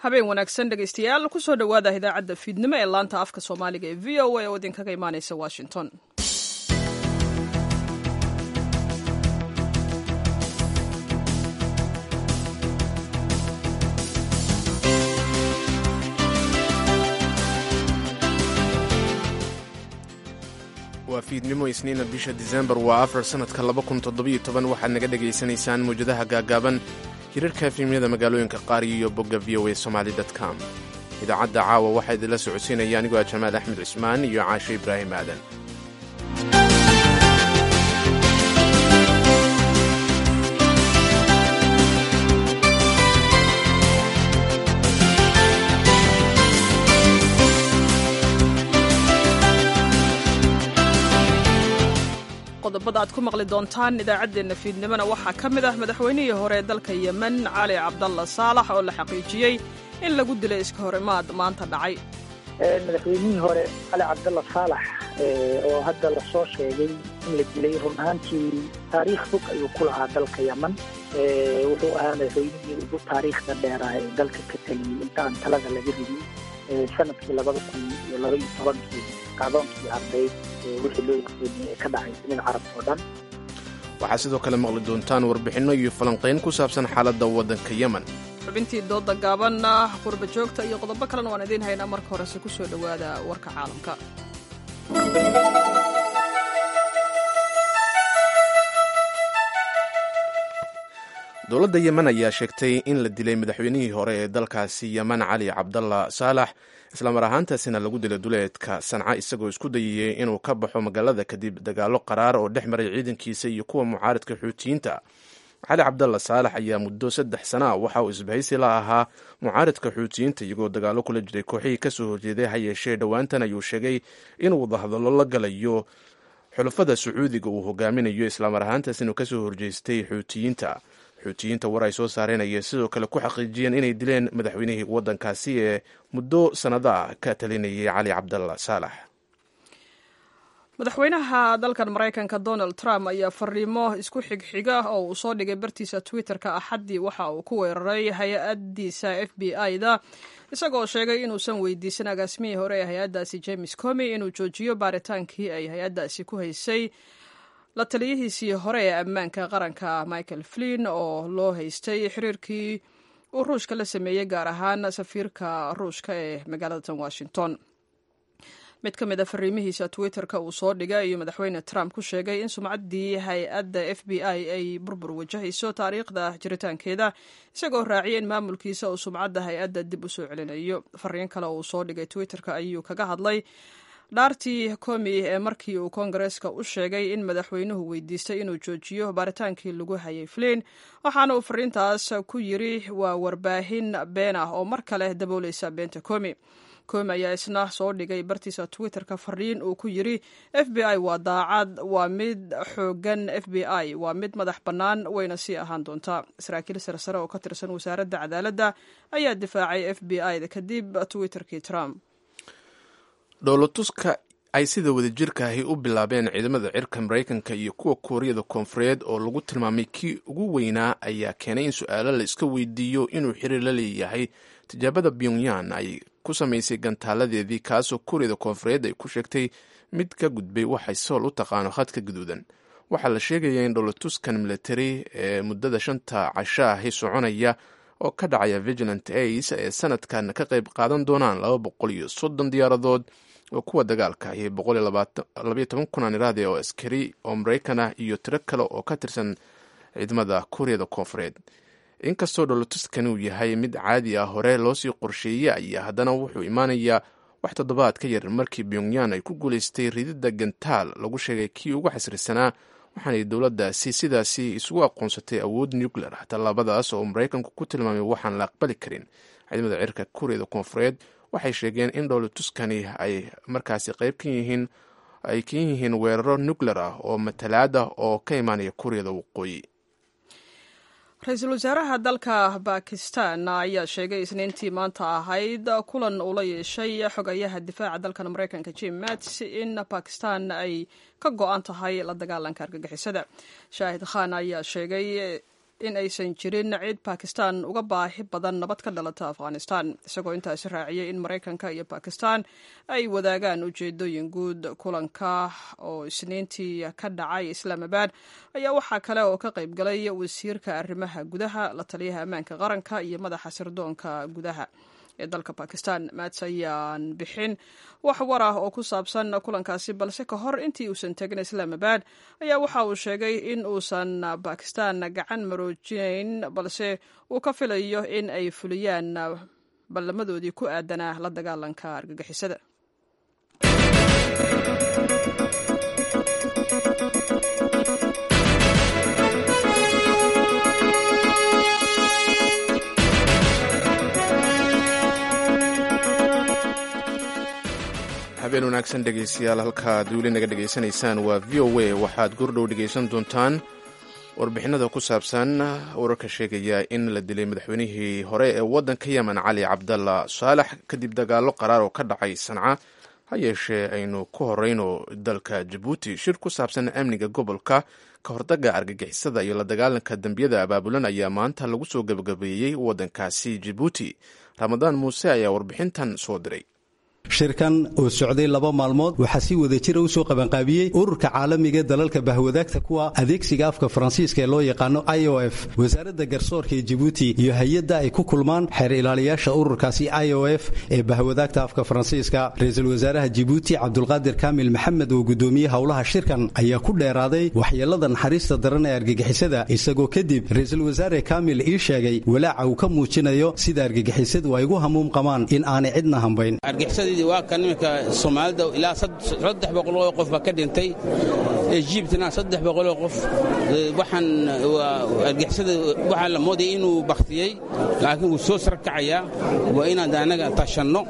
Habeen wanaagsan, dhegaystayaal. Kusoo dhowaada idaacadda fiidnimo ee laanta afka Soomaaliga ee VOA oo idinkaga imaanaysa Washington. Waa fiidnimo Isniina, bisha Disembar waa 4, sanadka 2017. Waxaad naga dhegaysanaysaan mawjadaha gaagaaban, hirarka FM-yada magaalooyinka qaar iyo bogga VOA Somali com. Idaacadda caawa waxaa idinla socodsiinaya anigoo ah Jamaal Axmed Cismaan iyo Caashe Ibraahim Aadan. Qodobada aad ku maqli doontaan idaacaddeenna fiidnimona waxaa ka mid ah madaxweynihii hore ee dalka Yemen, Cali Cabdalla Saalax, oo la xaqiijiyey in lagu dilay iska horimaad maanta dhacay. Madaxweynihii hore Cali Cabdalla Saalax oo hadda lasoo sheegay in la dilay, run ahaantii taariikh fog ayuu ku lahaa dalka Yemen. Wuxuu ahaa madaxweynihii ugu taariikhda dheeraa ee dalka ka taliyey inta aan talada laga ridin sanadkii 2012-kii, kacdoonkii ardayd wixii loo yaqaanay ee ka dhacay dunida Carabta oo dhan. Waxaad sidoo kale maqli doontaan warbixinno iyo falanqayn ku saabsan xaaladda waddanka Yemen. Xubintii dooda gaabanna, qurba joogta iyo qodobo kalena waan idiin haynaa. Marka horese ku soo dhowaada warka caalamka. Dowladda Yemen ayaa sheegtay in la dilay madaxweynihii hore ee dalkaasi Yemen, Cali Cabdalla Saalax, islamar ahaantaasina lagu dilay duleedka Sanca isagoo isku dayayey inuu ka baxo magaalada kadib dagaallo qaraar oo dhex maray ciidankiisa iyo kuwa mucaaridka Xuutiyiinta. Cali Cabdalla Saalax ayaa muddo 3 sana a waxa uu isbahaysi la ahaa mucaaridka Xuutiyiinta, iyagoo dagaallo kula jiray kooxihii kasoo horjeeday. Ha yeeshee, dhowaantan ayuu sheegay inuu wadahadallo la galayo xulafada Sacuudiga uu hogaaminayo, islamar ahaantaas inuu kasoo horjeestay Xuutiyiinta. Xuutiyiinta war ay soo saareen ayay sidoo kale ku xaqiijiyeen inay dileen madaxweynihii waddankaasi ee muddo sannadaa ka talinayay, Cali Cabdalla Saalax. Madaxweynaha dalkan Maraykanka Donald Trump ayaa fariimo isku xigxiga oo uu soo dhigay bartiisa Twitterka Axaddii waxa uu ku weeraray hay-addiisa FBI-da, isagoo sheegay inuusan weydiisan agaasimihii hore ee hay-addaasi James Comey inuu joojiyo baaritaankii ay hay-addaasi ku haysay la taliyihiisii hore ee ammaanka qaranka Michael Flynn, oo loo haystay xiriirkii uu Ruushka la sameeyey, gaar ahaan safiirka Ruushka ee magaalada Washington. Mid ka mid a fariimihiisa Twitterka uu soo dhigay ayuu Madaxweyne Trump ku sheegay in sumcaddii hay-adda FBI ay burbur wajahayso taariikhda jiritaankeeda, isagoo raaciyay in maamulkiisa uu sumcadda hay-adda dib u soo celinayo. Fariin kale oo uu soo dhigay Twitterka ayuu kaga hadlay dhaartii Comey ee markii uu Koongareeska u sheegay in madaxweynuhu weydiistay inuu joojiyo baaritaankii lagu hayay Flynn, waxaana uu fariintaas ku yiri: "Waa warbaahin been ah oo mar kale dabooleysa beenta Comey." Comey ayaa isna soo dhigay bartiisa Twitterka fariin uu ku yiri: "FBI waa daacad, waa mid xoogan, FBI waa mid madax bannaan, wayna sii ahaan doontaa." Saraakiil sarsare oo ka tirsan Wasaaradda Cadaaladda ayaa difaacay FBI da kadib Twitterkii Trump. Dhoolotuska ay sida wadajirkaahi u bilaabeen ciidamada cirka Maraykanka iyo kuwa Kuuriyada Koonfureed, oo lagu tilmaamay kii ugu weynaa, ayaa keenay in su-aalo la iska weydiiyo inuu xiriir la leeyahay tijaabada Pyongyang ay ku samaysay gantaaladeedii, kaasoo Kuuriyada Koonfureed ay ku sheegtay mid ka gudbay waxay Sool u taqaano khadka guduudan. Waxaa la sheegayaa in dhoolotuskan military ee muddada 5-ta cashaahi soconaya oo ka dhacaya Vigilant Ace ee sanadkan ka qayb qaadan doonaan 230 diyaaradood oo kuwa dagaalka iyo 112,000, aan iraahde, oo askari oo Maraykan ah iyo tiro kale oo ka tirsan ciidamada Kuuriyada Koonfureed. Inkastoo dholotuskani uu yahay mid caadi ah, hore loosii qorsheeyey, ayaa haddana wuxuu imaanayaa wax toddobaad ka yar markii Pyongyang ay ku guulaystay rididda gantaal lagu sheegay kii ugu xasrisanaa, waxaanay dowladdaasi sidaasi isugu aqoonsatay awood nuclear ah, tallaabadaas oo Maraykanku ku tilmaamay waxaan la aqbali karin. Ciidamada cirka Kuuriyada Koonfureed waxay sheegeen in dhoolotuskani ay markaasi qayb ka yihiin ay kan yihiin weeraro nuclear ah oo matalaad ah oo ka imaanaya Kuuriyada Waqooyi. Ra-iisul wasaaraha dalka Bakistan ayaa sheegay Isniintii maanta ahayd kulan uu la yeeshay xogayaha difaaca dalkan Maraykanka Jim Mattis in Bakistan ay ka go-an tahay la dagaalanka argagixisada. Shaahid Khan ayaa sheegay in aysan jirin cid Bakistan uga baahi badan nabad ka dhalata Afghanistan, isagoo intaasi raaciyey in Maraykanka iyo Bakistan ay wadaagaan ujeedooyin guud. Kulanka oo Isniintii ka dhacay Islaamabad ayaa waxaa kale oo ka qayb galay wasiirka arrimaha gudaha, la taliyaha ammaanka qaranka iyo madaxa sirdoonka gudaha ee dalka Bakistan. Maats ayaan bixin wax war ah oo ku saabsan kulankaasi, balse ka hor intii uusan tegin Islaamabad ayaa waxa uu sheegay in uusan Bakistan gacan maroojinayn, balse uu ka filayo in ay fuliyaan ballamadoodii ku aadanaa la dagaalanka argagixisada. Habeen wanaagsan dhegeystayaal, halkaad weli naga dhegaysanaysaan waa VOA. Waxaad gordhow dhegaysan doontaan warbixinada ku saabsan wararka sheegaya in la dilay madaxweynihii hore ee waddanka Yemen, Cali Cabdalla Saalax, kadib dagaallo qaraar oo ka dhacay Sanca. Ha yeeshee aynu ku horeyno dalka Jabuuti. Shir ku saabsan amniga gobolka, ka hortagga argagixisada iyo la dagaalanka dembiyada abaabulan ayaa maanta lagu soo gebagabeeyey waddankaasi Jabuuti. Ramadaan Muuse ayaa warbixintan soo diray. Shirkan oo socday 2 maalmood waxaa si wadajira u soo qabanqaabiyey ururka caalamiga dalalka bahwadaagta kuwa adeegsiga afka Faransiiska ee loo yaqaano IOF, wasaaradda garsoorka ee Jabuuti iyo hay-adda ay ku kulmaan xeer ilaaliyaasha ururkaasi IOF ee bahwadaagta afka Faransiiska. Ra-iisul wasaaraha Jabuuti Cabdulqaadir Kaamil Maxamed oo gudoomiyey howlaha shirkan ayaa ku dheeraaday waxyeelada naxariista daran ee argagixisada, isagoo kadib ra-iisul wasaare Kaamil ii sheegay walaaca uu ka muujinayo sida argagixisadu ay ugu hamuum qabaan in aanay cidna hambayn. Waa kan iminka Soomaalida ilaa 300 oo qof baa ka dhintay, Ejibtna 300 oo qof. Waxaan argixisada waxaa la moodaya inuu baktiyey, laakiin wuu soo sarkacayaa. Waa inaan anaga tashanno,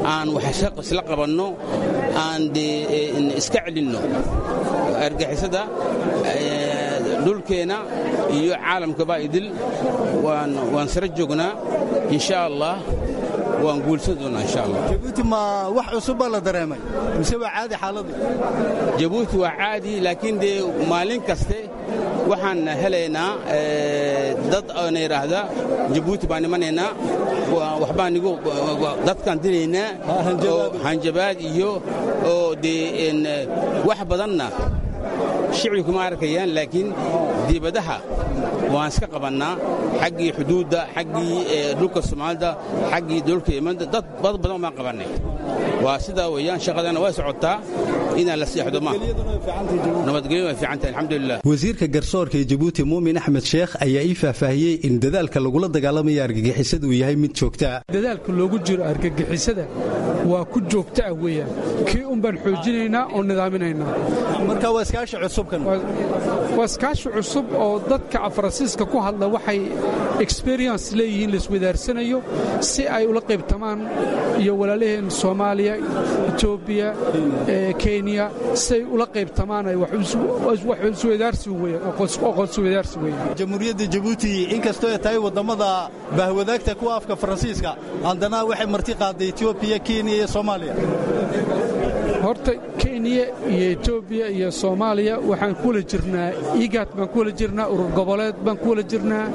aan wax isla qabanno, aan iska celinno argixisada dhulkeenna iyo caalamkaba idil. Waan sara joognaa insha Allah, waan guulsan doonaa insha Allah. Jabuuti ma wax cusub baa la dareemay mise waa caadi xaaladdu? Jabuuti waa caadi, laakiin dee maalin kaste waxaan helaynaa dad oona yidhaahda Jabuuti baan imanaynaa, waxbaan igu dadkaan dilaynaa, oo hanjabaad iyo oo dee wax badanna shicibku kuma arkayaan, laakiin dibadaha waan iska qabannaa, xaggii xuduudda, xaggii dhulka Soomaalida, xaggii dhulka Yemanda, dad badan baan qabannay. Waa sidaa weeyaan, shaqadana waa socotaa, inaan la seexdo ma nabadgelyo way fiican tahay, alxamdulilah. Wasiirka garsoorka ee Jabuuti Muumin Axmed Sheekh ayaa ii faahfaahiyey in dadaalka lagula dagaalamaya argagixisada uu yahay mid joogtaa. Dadaalka loogu jiro argagixisada waa ku joogta ah weeyaan, kii un baan xoojinaynaa oo nidaaminaynaa. Marka waa iskaashi cusubkan? Waa iskaashi cusub oo dadka Faransiiska ku hadla waxay experience leeyihiin laiswadaarsanayo si ay ula qaybtamaan iyo walaalaheen Soomaaliya, Etoobiya, Kenya, si ay ula qaybtamaan ay wax iswadaarsi weeyaan, aqoonsi wadaarsi weeyaan. Jamhuuriyadda Jabuuti inkastoo ay tahay waddamada bahwadaagta kuwa afka Faransiiska, haddana waxay marti qaaday Etoobiya, Kenya iyo Soomaaliya. Horta Kenya iyo Etoobiya iyo Soomaaliya waxaan ku wala jirnaa IGAD baan ku wala jirnaa, urur goboleed baan ku wala jirnaa,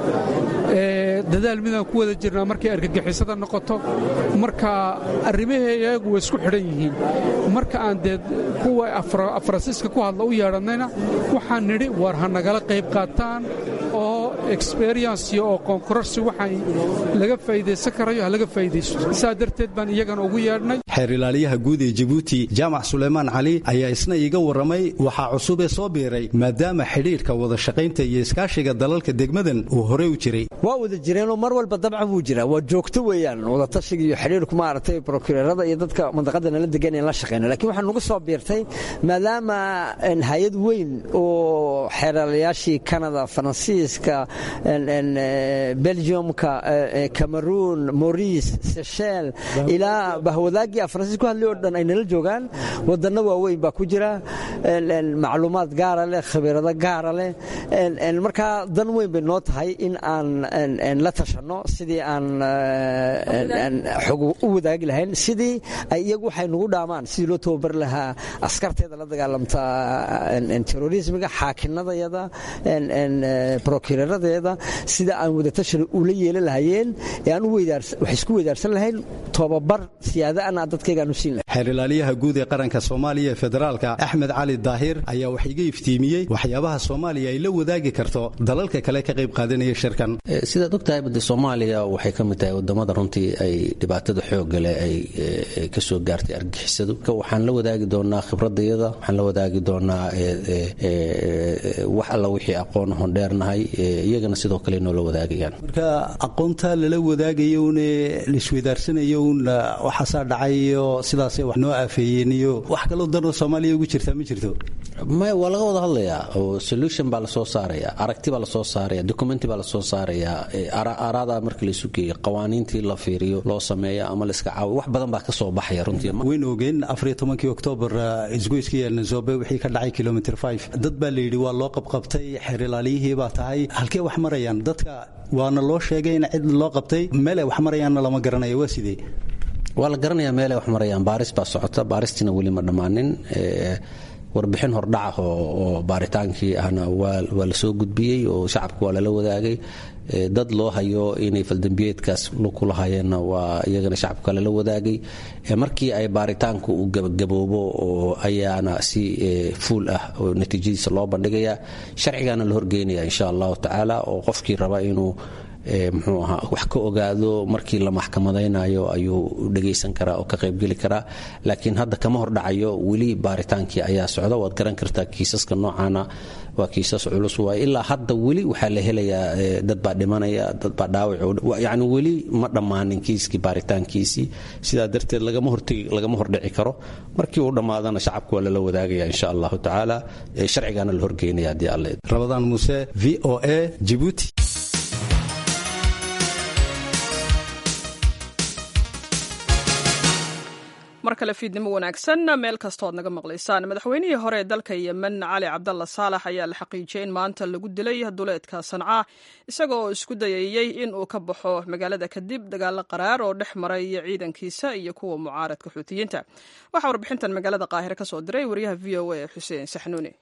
dadaal midaan ku wada jirnaa markay argagixisada noqoto. Marka arrimaheeyagu way isku xidhan yihiin. Marka aan dee kuwa Faransiiska ku hadla u yeedhannayna waxaan nidhi war ha nagala qayb qaataan oo experience iyo aqoon kororsi waxaan laga faa'iidaysan karayo ha laga faa'iidaysto. Saa darteed baan iyagana ugu yeedhnay. Xeer ilaaliyaha guud ee Jabuuti Jaamac Suleymaan Cali ayaa isna iiga warramay waxaa cusub ee soo biiray, maadaama xidhiidhka wada shaqaynta iyo iskaashiga dalalka degmadan uu horey u jiray. Waa wada jireenoo mar walba dabcan wuu jiraa, waa joogto weeyaan wadatashiga iyo xidhiidhku maaragtay prokureerada iyo dadka mandaqada nala degan in la shaqeyno. Laakiin waxaa nagu soo biirtay maadaama hay-ad weyn oo xeeralayaashii Canada, Faransiiska, Belgiumka, Cameroon, Maurice, Seychelles ilaa bahwadaagii Dadkii Faransiis ku hadlay oo dhan ay nala joogaan, wadanno waaweyn baa ku jira, macluumaad gaara leh, khibrado gaara leh. Markaa dan weyn bay noo tahay in aan la tashanno sidii aan xog u wadaagi lahayn, sidii ay iyagu waxay nagu dhaamaan, sidii loo tababari lahaa askarteeda la dagaalamta terrorismiga, xaakinadayada, prokureeradeeda, sida aan wadatashan ula yeelan lahayeen ee aan wax isku weydaarsan lahayn, tobabar siyaadaana dadkayga aan u siin lahayn. Xeer ilaaliyaha guud ee qaranka Soomaaliya ee federaalka, Axmed Cali Daahir, ayaa wax iga iftiimiyey waxyaabaha Soomaaliya ay la wadaagi karto dalalka kale ka qayb qaadanaya shirkan. Sidaad ogtahay, bade Soomaaliya waxay ka mid tahay wadamada runtii ay dhibaatada xoogga leh ay ka soo gaartay argixisadu. Waxaan la wadaagi doonaa khibradayada, waxaan la wadaagi doonaa wax alla wixii aqoon ahon dheernahay, iyagana sidoo kale noola wadaagayaan. Marka aqoonta lala wadaagayo une laisweydaarsanayo un waxaasaa dhacay iyo sidaasay wax noo aafeeyeen iyo wax kaloo danoo Soomaaliya ugu jirtaa ma jirto? Maya, waa laga wada hadlayaa oo solution baa lasoo saaraya, aragti baa lasoo saaraya, documenti baa lasoo saaraya. Araada marka laisu geeyo, qawaaniintii la fiiriyo, loo sameeyo ama laiska caawiyo, wax badan baa ka soo baxaya runtii. Waynu ogeen 14-kii Oktoobar isgoyskii Elnazobe wixii ka dhacay kilomitr 5. Dad baa la yidhi waa loo qabqabtay, xeer ilaaliyihii baa tahay. Halkee wax marayaan dadka? Waana loo sheegay in cid loo qabtay, meel ay wax marayaanna lama garanayo. Waa sidee? Waa la garanayaa meelay wax marayaan. Baaris baa socota, baaristiina weli ma dhammaanin. Warbixin hordhaca oo baaritaankii ahna waa la soo gudbiyey oo shacabka waa lala wadaagay. Dad loo hayo inay faldambiyeedkaas ku lahayeenna waa iyagana shacabka lala wadaagay. Markii ay baaritaanku uu gabagaboobo oo ayaana si fuul ah oo natiijadiisa loo bandhigayaa, sharcigaana la horgeynaya insha Allahu tacaala, oo qofkii raba inuu muxuu ahaa wax ka ogaado markii la maxkamadaynayo ayuu dhagaysan karaa oo ka qaybgeli karaa. Laakiin hadda kama hordhacayo, weli baaritaankii ayaa socda. Waad garan kartaa, kiisaska noocaana waa kiisas culus waay. Ilaa hadda weli waxaa la helayaa dad baa dhimanaya, dad baa dhaawac, yacni weli ma dhammaanin kiiskii baaritaankiisii. Sidaa darteed lagama hortegi, lagama hordhici karo. Markii uu dhammaadana shacabku waa lala wadaagaya insha Allahu tacaala, sharcigaana la horgeynaya haddii Alle. Rabadaan Muuse, VOA, Jibuuti. Mar kale fiidnimo wanaagsan meel kastoo ad naga maqlaysaan. Madaxweynihii hore ee dalka Yemen, Cali Cabdalla Saalax, ayaa la xaqiijiyey in maanta lagu dilay duleedka Sanca, isaga oo isku dayayey in uu ka baxo magaalada kadib dagaalo qaraar oo dhex maray ciidankiisa iyo kuwa mucaaradka Xuutiyiinta. Waxaa warbixintan magaalada Qaahire ka soo diray wariyaha VOA, Xuseen Saxnuuni.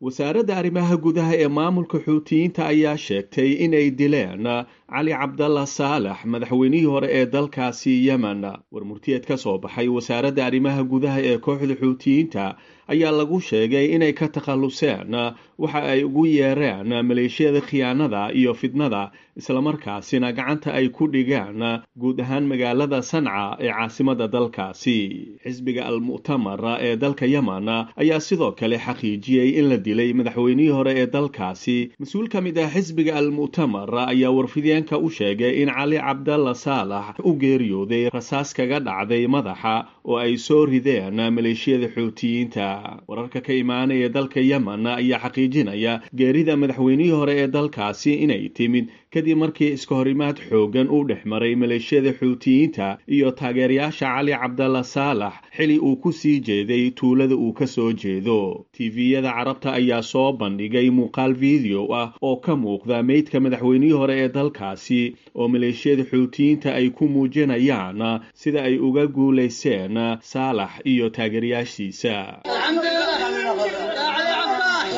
Wasaaradda arrimaha gudaha ee maamulka Xuutiyiinta ayaa sheegtay inay dileen Cali Cabdalla Saalax, madaxweynihii hore ee dalkaasi Yemen. Warmurtiyeed ka soo baxay wasaaradda arrimaha gudaha ee kooxda Xuutiyiinta ayaa lagu sheegay inay ka takhalluseen waxa ay ugu yeereen maleeshiyada khiyaanada iyo fidnada, islamarkaasina gacanta ay ku dhigaan guud ahaan magaalada Sanca ee caasimada dalkaasi. Xisbiga Al-Mu'tamar ee dalka Yemen ayaa sidoo kale xaqiijiyey in la dilay madaxweynihii hore ee dalkaasi. Mas-uul ka mid ah xisbiga Al-Mu'tamar ayaa warfideenka u sheegay in Cali Cabdalla Saalax u geeriyooday rasaas kaga dhacday madaxa oo ay soo rideen maleeshiyada Xuutiyiinta. Wararka ka imaanaya dalka Yemen ayaa xaqiijinaya geerida madaxweynihii hore ee dalkaasi inay timid kadib markii iska horimaad xoogan uu dhex maray maleeshiyada Xuutiyiinta iyo taageerayaasha Cali Cabdalla Saalax, xili uu ku sii jeeday tuulada uu ka soo jeedo. TV-yada Carabta ayaa soo bandhigay muuqaal video ah oo ka muuqda meydka madaxweynihii hore ee dalkaasi oo maleeshiyada Xuutiyiinta ay ku muujinayaan sida ay uga guulayseen Saalax iyo taageerayaashiisa.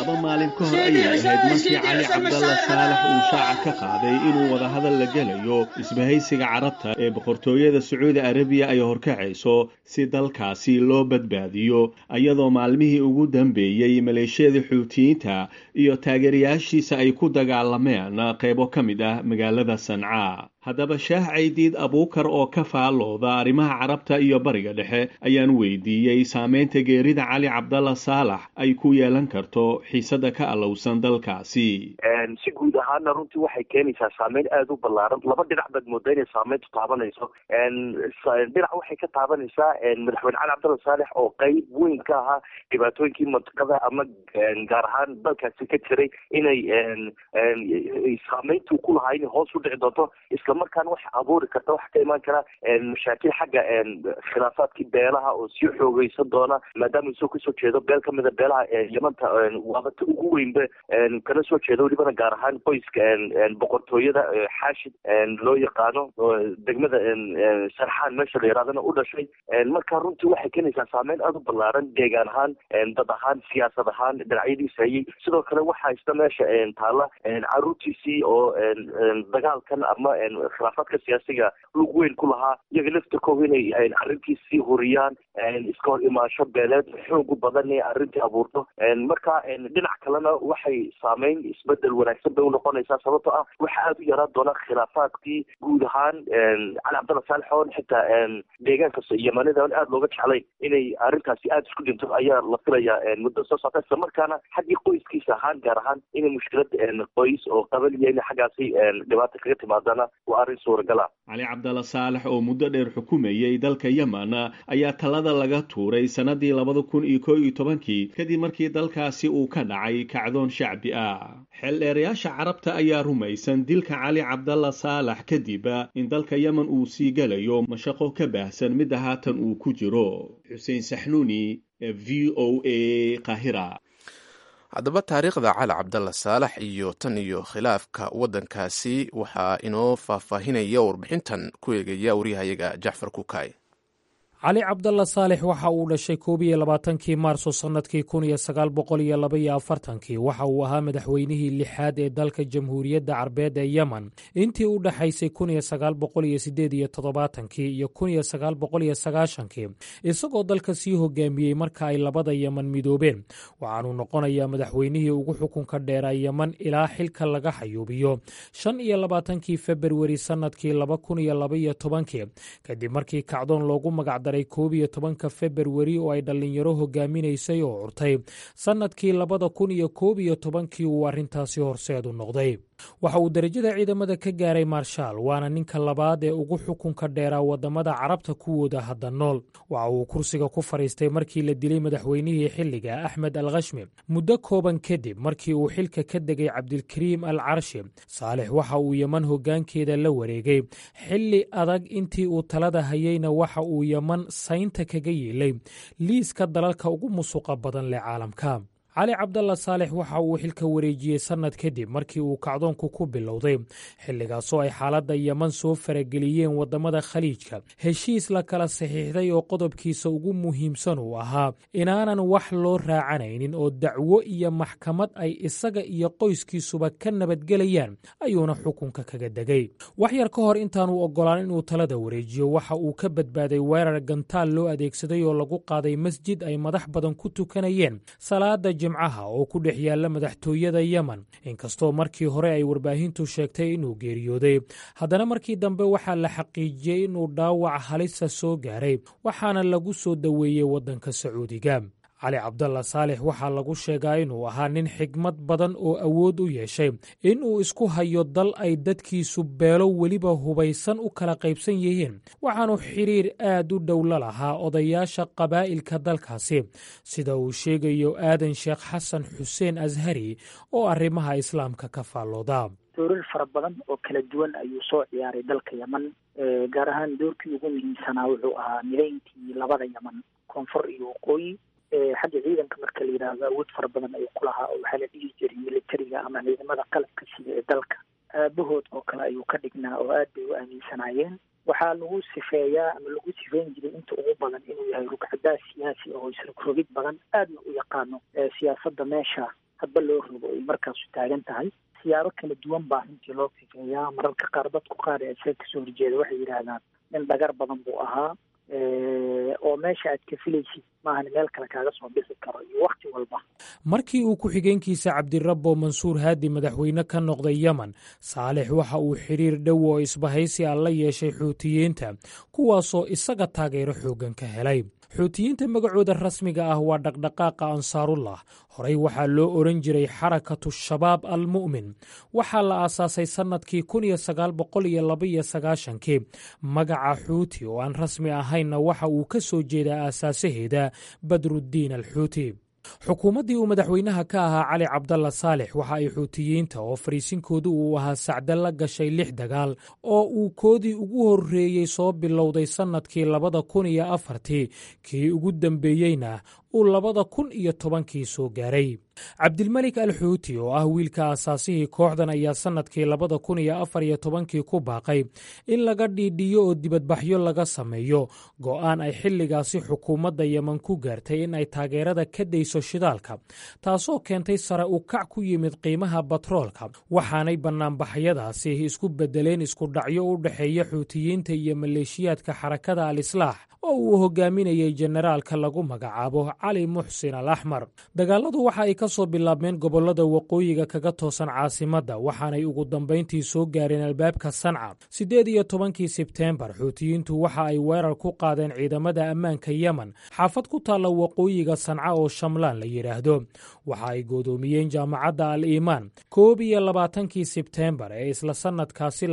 2 maalin ka hor ayay ahayd markii Cali Cabdalla Saalax uu shaaca ka qaaday inuu wadahadal la gelayo isbahaysiga Carabta ee Boqortooyada Sacuudi Arabiya ay horkacayso si dalkaasi loo badbaadiyo, iyadoo maalmihii ugu dambeeyey maleeshiyada Xuutiyiinta iyo taageerayaashiisa ay ku dagaalameen qaybo ka mid ah magaalada Sanca. Haddaba, Shaah Caydiid Abuukar oo ka faallooda arrimaha Carabta iyo Bariga Dhexe ayaan weydiiyey saameynta geerida Cali Cabdalla Saalax ay ku yeelan karto xiisada ka alowsan dalkaasi. Si guud ahaana runtii waxay keenaysaa saameyn aada u ballaaran. Laba dhinac baad moodaa inay saameyntu taabanayso. Dhinac waxay ka taabanaysaa madaxweyne Cali Cabdalla Saalex oo qeyb weyn ka ahaa dhibaatooyinkii mantiqada ama gaar ahaan dalkaasi ka jiray, inay saameyntuu ku lahaa inay hoos u dhici doonto. Islamarkaana waxa abuuri karta, waxa ka imaan kara mashaakil xagga khilaafaadkii beelaha oo sii xoogeysan doona, maadaama isagoo kasoo jeedo beel kamida beelaha Yamanta, waabata ugu weynba kana soo jeedo, welibana gaar ahaan qoyska boqortooyada Xaashid loo yaqaano, degmada Sarxaan meesha la yirahdana u dhashay. Marka runtii waxay keenaysaa saameyn aada u ballaaran, deegaan ahaan, dad ahaan, siyaasad ahaan, dhinacyadiisa hayay. Sidoo kale waxaa isna meesha taalla caruurtiisii oo dagaalkan ama khilaafaadka siyaasiga lug weyn ku lahaa, iyaga laftirkooda inay arrintiis sii huriyaan, iska hor imaansho beeleed xoogu badan inay arrintii abuurto. Marka dhinac kalena waxay saameyn isbedel wanaagsan bay unoqonaysaa, sababtoo ah waxa aada u yaraan doona khilaafaadkii guud ahaan Cali Cabdalla Saalex oon xitaa deegaanka Yamanida on aada looga jeclay inay arrintaasi aada isku dhinto ayaa la filayaa muddo soo socota. Islamarkaana xaggii qoyskiisa ahaan, gaar ahaan inay mushkilad qoys oo qabaliya inay xaggaasi dhibaata kaga timaadana waa arrin suuragala. Cali Cabdalla Saalex oo muddo dheer xukumayay dalka Yemen ayaa talada laga tuuray sanadii 2011-kii, kadib markii dalkaasi uu ka dhacay kacdoon shacbi ah. Xeeldheerayaasha Carabta ayaa rumaysan dilka Cali Cabdalla Saalax kadib in dalka Yemen uu sii galayo mashaqo ka baahsan midda haatan uu ku jiro. Xuseen Saxnuuni, VOA, Qaahira. Haddaba taariikhda Cali Cabdalla Saalax iyo tan iyo khilaafka waddankaasi waxaa inoo faahfaahinaya warbixintan ku eegaya waryahayaga Jacfar Kukaay. Cali Cabdalla Saalix waxa uu dhashay 21-kii Maarso sannadkii 1942-kii. Waxa uu ahaa madaxweynihii lixaad ee dalka Jamhuuriyadda Carbeed ee Yemen intii u dhaxaysay 1978-kii iyo 1990-kii, isagoo dalka sii hogaamiyey marka ay labada Yemen midoobeen. Waxaanuu noqonayaa madaxweynihii ugu xukunka dheeraa Yemen ilaa xilka laga xayuubiyo 25-kii Februari sannadkii 2012-kii, kadib markii kacdoon loogu magac daray 11-ka Februari oo ay dhallinyaro hogaaminaysay oo curtay sannadkii 2011-kii uu arrintaasi horseedu noqday. Waxa uu derajada ciidamada ka gaaray maarshaal, waana ninka labaad ee ugu xukunka dheeraa waddamada Carabta kuwooda hadda nool. Waxa uu kursiga ku fadhiistay markii la dilay madaxweynihii xilliga, Axmed al Khashmi, muddo kooban kadib markii uu xilka ka degay Cabdilkariim al Carshi. Saalix waxa uu Yeman hoggaankeeda la wareegay xilli adag. Intii uu talada hayeyna waxa uu Yeman saynta kaga yeelay liiska dalalka ugu musuqa badan leh caalamka. Cali Cabdalla Saalix waxa uu xilka wareejiyey sannad kadib markii uu kacdoonku ku bilowday, xilligaasoo ay xaaladda Yeman soo farageliyeen waddamada Khaliijka. Heshiis la kala saxiixday oo qodobkiisa ugu muhiimsan uu ahaa inaanan wax loo raacanaynin oo dacwo iyo maxkamad ay isaga iyo qoyskiisuba ka nabadgelayaan ayuuna xukunka kaga degay. Wax yar ka hor intaanu oggolaan inuu talada wareejiyo, waxa uu ka badbaaday weerar gantaal loo adeegsaday oo lagu qaaday masjid ay madax badan ku tukanayeen salaada Jimcaha oo ku dhex yaalla madaxtooyada Yemen. Inkastoo markii hore ay warbaahintu sheegtay inuu geeriyooday, haddana markii dambe waxaa la xaqiijiyey inuu dhaawac halisa soo gaaray, waxaana lagu soo daweeyey waddanka Sacuudiga. Cali Cabdalla Saalix waxaa lagu sheegaa inuu ahaa nin xigmad badan oo awood u yeeshay inuu isku hayo dal ay dadkiisu beelo weliba hubaysan u kala qaybsan yihiin. Waxaanu xiriir aad u dhow la lahaa odayaasha qabaa'ilka dalkaasi, sida uu sheegayo Aadan Sheekh Xasan Xuseen Ashari oo arrimaha Islaamka ka faallooda. Doorar fara badan oo kala duwan ayuu soo ciyaaray dalka Yeman. Gaar ahaan doorkii ugu muhiimsanaa wuxuu ahaa midayntii labada Yeman, koonfur iyo waqooyi. Xagga ciidanka marka la yidhaahdo, awood fara badan ayuu ku lahaa, oo waxaa la dhihi jiray militariga ama ciidamada qalabka sida ee dalka aabahood oo kale ayuu ka dhignaa, oo aad bay u aaminsanaayeen. Waxaa lagu sifeeyaa ama lagu sifeyn jiray inta ugu badan inuu yahay rugcadaas siyaasi oo isrogrogid badan, aadna u yaqaano siyaasadda meesha hadba loo rogo ay markaasu taagan tahay. Siyaabo kala duwan baa runtii loo sifeeyaa. Mararka qaar dadku qaar ee isaga kasoo horjeeda waxay yidhaahdaan nin dhagar badan buu ahaa, oo meesha aad ka filaysid maahan meel kale kaaga soo bixi karo iyo wakhti walba. Markii uu ku-xigeenkiisa Cabdirabbo Mansuur Haadi madaxweyne ka noqday Yemen, Saalix waxa uu xiriir dhow oo isbahaysi ah la yeeshay Xuutiyiinta, kuwaasoo isaga taageero xooggan ka helay. Xuutiyiinta magacooda rasmiga ah waa Dhaqdhaqaaqa Ansaarullah. Horey waxaa loo odhan jiray Xarakatu Shabaab Almu'min. Waxaa la aasaasay sannadkii 1992-kii. Magaca Xuuti oo aan rasmi ahaynna waxa uu ka soo jeedaa aasaasaheeda, Badruddiin Alxuuti. Xukuumaddii uu madaxweynaha ka ahaa Cali Cabdalla Saalix waxa ay Xuutiyiinta, oo fariisinkoodu uu ahaa Sacda, la gashay lix dagaal oo uu koodii ugu horreeyey soo bilowday sannadkii 2004-tii, kii ugu dambeeyeyna uu 2010-kii soo gaaray. Cabdilmelik Al Xuuti, oo ah wiilka aasaasihii kooxdan, ayaa sannadkii 2014-kii ku baaqay in laga dhiidhiyo oo dibadbaxyo laga sameeyo go'aan ay xilligaasi xukuumadda Yemen ku gaartay in ay taageerada ka dayso shidaalka, taasoo keentay sare u kac ku yimid qiimaha batroolka. Waxaanay bannaanbaxyadaasi isku beddeleen isku dhacyo u dhexeeya Xuutiyiinta iyo maleeshiyaadka Xarakada Al Islaax oo uu hogaaminayay jenaraalka lagu magacaabo Cali Muxsin Al Axmar. Dagaaladu waxa ay ka soo bilaabmeen gobollada waqooyiga kaga toosan caasimadda, waxaanay ugu dambayntii soo gaareen albaabka Sanca. 18-kii Sebteembar, Xuutiyiintu waxa ay weerar ku qaadeen ciidamada ammaanka Yemen xaafad ku taalla waqooyiga Sanca oo Shamlaan la yidhaahdo. Waxa ay goodoomiyeen Jaamacadda Al Iimaan. 21-kii Sebteembar ee isla sannadkaasi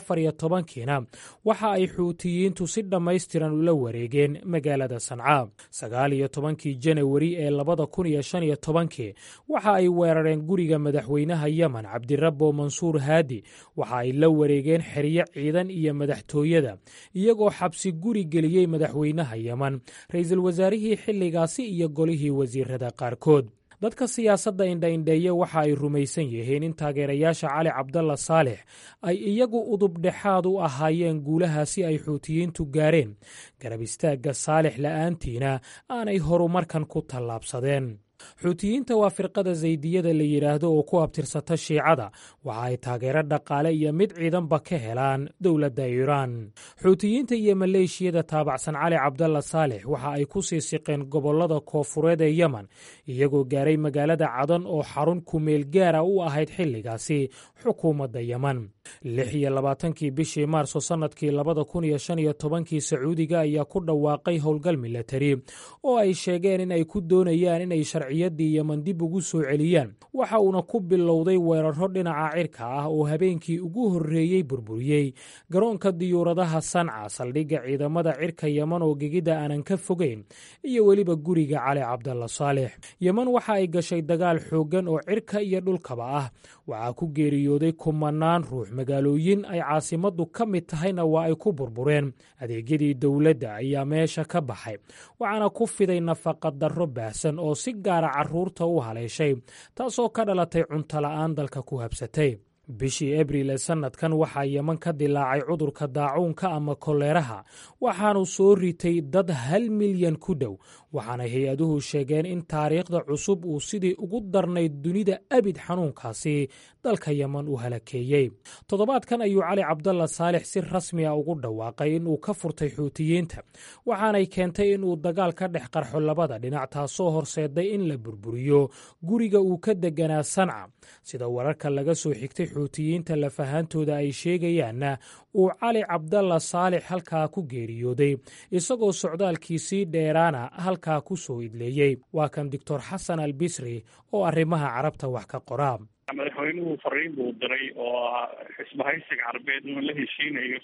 2014-kiina waxa ay Xuutiyiintu si dhammaystiran ula wareegeen magaalada Sanca. 19-kii Janawari ee 2015-kii waxa ay weerareen guriga madaxweynaha Yemen, Cabdirabbo Mansuur Haadi. Waxa ay la wareegeen xeryo ciidan iyo madaxtooyada, iyagoo xabsi guri geliyey madaxweynaha Yemen, ra'iisul wasaarihii xilligaasi iyo golihii wasiirada qaarkood. Dadka siyaasadda indhaindheeye waxa ay rumaysan yihiin in taageerayaasha Cali Cabdalla Saalix ay iyagu udub dhexaad u ahaayeen guulahaasi ay Xuutiyiintu gaareen, garab istaagga Saalix la'aantiina aanay horumarkan ku tallaabsadeen. Xuutiyiinta waa firqada Zaydiyada la yidhaahdo oo ku abtirsata Shiicada. Waxa ay taageero dhaqaale iyo mid ciidanba ka helaan dowladda Iiraan. Xuutiyiinta iyo maleeshiyada taabacsan Cali Cabdalla Saalix waxa ay ku sii siqeen gobollada koofureed ee Yemen, iyagoo gaaray magaalada Cadan oo xarun kumeel gaara u ahayd xilligaasi xukuumadda Yemen. 26-kii bishii Maarso sannadkii 2015-kii, Sacuudiga ayaa ku dhawaaqay howlgal milatari oo ay sheegeen in ay ku doonayaan inay sharciyaddii Yemen dib ugu soo celiyaan. Waxa uuna ku bilowday weeraro dhinaca cirka ah oo habeenkii ugu horreeyey burburiyey garoonka diyuuradaha Sanca, saldhigga ciidamada cirka Yemen oo gegida aanan ka fogeyn, iyo weliba guriga Cali Cabdalla Saalix. Yemen waxa ay gashay dagaal xooggan oo cirka iyo dhulkaba ah. Waxaa ku geeriyooday kumanaan ruux, magaalooyin ay caasimaddu ka mid tahayna waa ay ku burbureen. Adeegyadii dowladda ayaa meesha ka baxay, waxaana ku fiday nafaqa darro baahsan oo si gaara carruurta u haleeshay, taasoo ka dhalatay cuntola'aan dalka ku habsatay. Bishii Abriil ee sannadkan waxaa Yeman ka dilaacay cudurka daacuunka ama koleeraha, waxaanu soo ritay dad 1 milyan ku dhow, waxaana hay-aduhu sheegeen in taariikhda cusub uu sidii ugu darnayd dunida abid xanuunkaasi dalka Yeman u halakeeyey. Toddobaadkan ayuu Cali Cabdalla Saalix si rasmi a ugu dhawaaqay inuu ka furtay Xuutiyiinta, waxaanay keentay inuu dagaal ka dhex qarxo labada dhinac, taasoo horseeday in la burburiyo guriga uu ka deganaa Sanca. Sida wararka laga soo xigtay Xuutiyiinta lafahaantooda ay sheegayaanna, uu Cali Cabdalla Saalix halkaa ku geeriyooday, isagoo socdaalkiisii dheeraana halkaa ku soo idleeyey. Waa kan Doctor Xasan Al Bisri oo arrimaha Carabta wax ka qoraa. Madaxweynuhu fariin buu diray oo ah xisbahaysiga Carbeed inuu la heshiinayo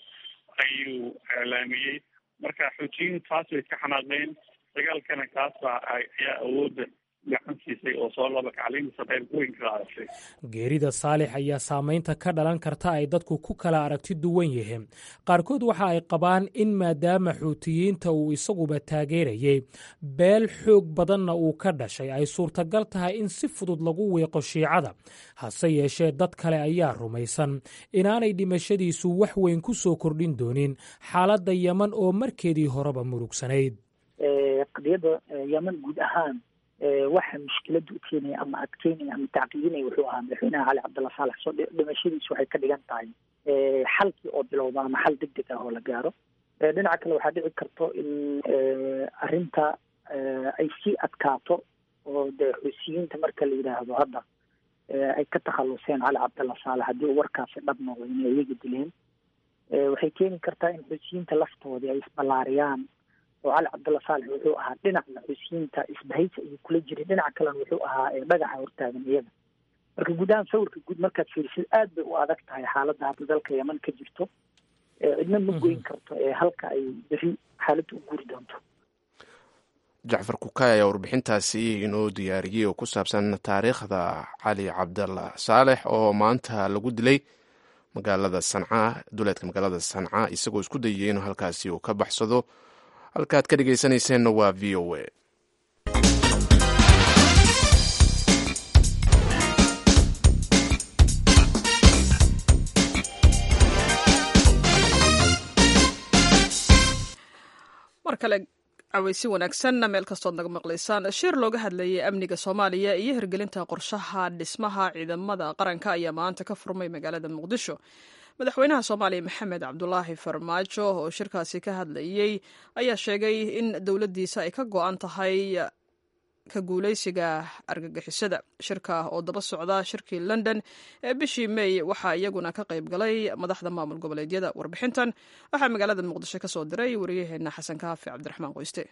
ayuu iclaamiyey. Marka Xuutiyiin taas bay ka xanaaqeen, dagaalkana kaas baa ayaa awoodda gacan siisay oo soo laba kacliintiisa qayb weyn ka qaadatay. Geerida Saalix ayaa saamaynta ka dhalan karta ay dadku ku kala aragti duwan yihiin. Qaarkood waxa ay qabaan in maadaama Xuutiyiinta uu isaguba taageerayey, beel xoog badanna uu ka dhashay, ay suurtagal tahay in si fudud lagu wiiqo Shiicada. Hase yeeshee, dad kale ayaa rumaysan inaanay dhimashadiisu wax weyn ku soo kordhin doonin xaaladda Yeman oo markeedii horeba murugsanayd. Qadiyadda Yemen guud ahaan waxa mushkiladda u keenaya ama adkeynaya ama tacqiidinaya wuxuu ahaa madaxweynaha Cali Cabdalla Saalax. Soo dhimashadiisu waxay ka dhigan tahay xalkii oo bilowda ama xal deg deg ah oo la gaaro. Dhinaca kale, waxaa dhici karto in arrinta ay sii adkaato oo dee Xuusiyiinta marka la yidhaahdo hadda ay ka takhaluseen Cali Cabdalla Saalax, haddii uu warkaasi dhab noqdo inay iyaga dileen, waxay keeni kartaa in Xuusiyiinta laftoodii ay isballaariyaan. Oo Cali Cabdalla Saalex wuxuu ahaa dhinacna Xuusiyiinta isbahaysi ayuu kula jiray, dhinaca kalena wuxuu ahaa dhagaxa hortaagan iyaga. Marka guud ahaan sawirka guud markaad fiirisid, aad bay u adag tahay xaaladda hadda dalka Yeman ka jirto. Cidna ma goyn karto ee halka ay beri xaaladda u guuri doonto. Jacfar Kukaay ayaa warbixintaasi inoo diyaariyey oo ku saabsan taariikhda Cali Cabdalla Saalex oo maanta lagu dilay magaalada Sanca, duleedka magaalada Sanca, isagoo isku dayay inuu halkaasi uu ka baxsado. Halkaad ka dhegeysaneyseenna waa VOA. Mar kale caweysi wanaagsanna meel kastood naga maqlaysaan. Shir looga hadlayay amniga Soomaaliya iyo hirgelinta qorshaha dhismaha ciidamada qaranka ayaa maanta ka furmay magaalada Muqdisho. Madaxweynaha Soomaaliya Maxamed Cabdulaahi Farmaajo oo shirkaasi ka hadlayey ayaa sheegay in dowladdiisa ay ka go-an tahay ka guuleysiga argagixisada. Shirka oo daba socda shirkii London ee bishii May waxaa iyaguna ka qayb galay madaxda maamul goboleedyada. Warbixintan waxaa magaalada Muqdisho ka soo diray wariyaheena Xasan Kaafi Cabdiraxmaan Qoyste.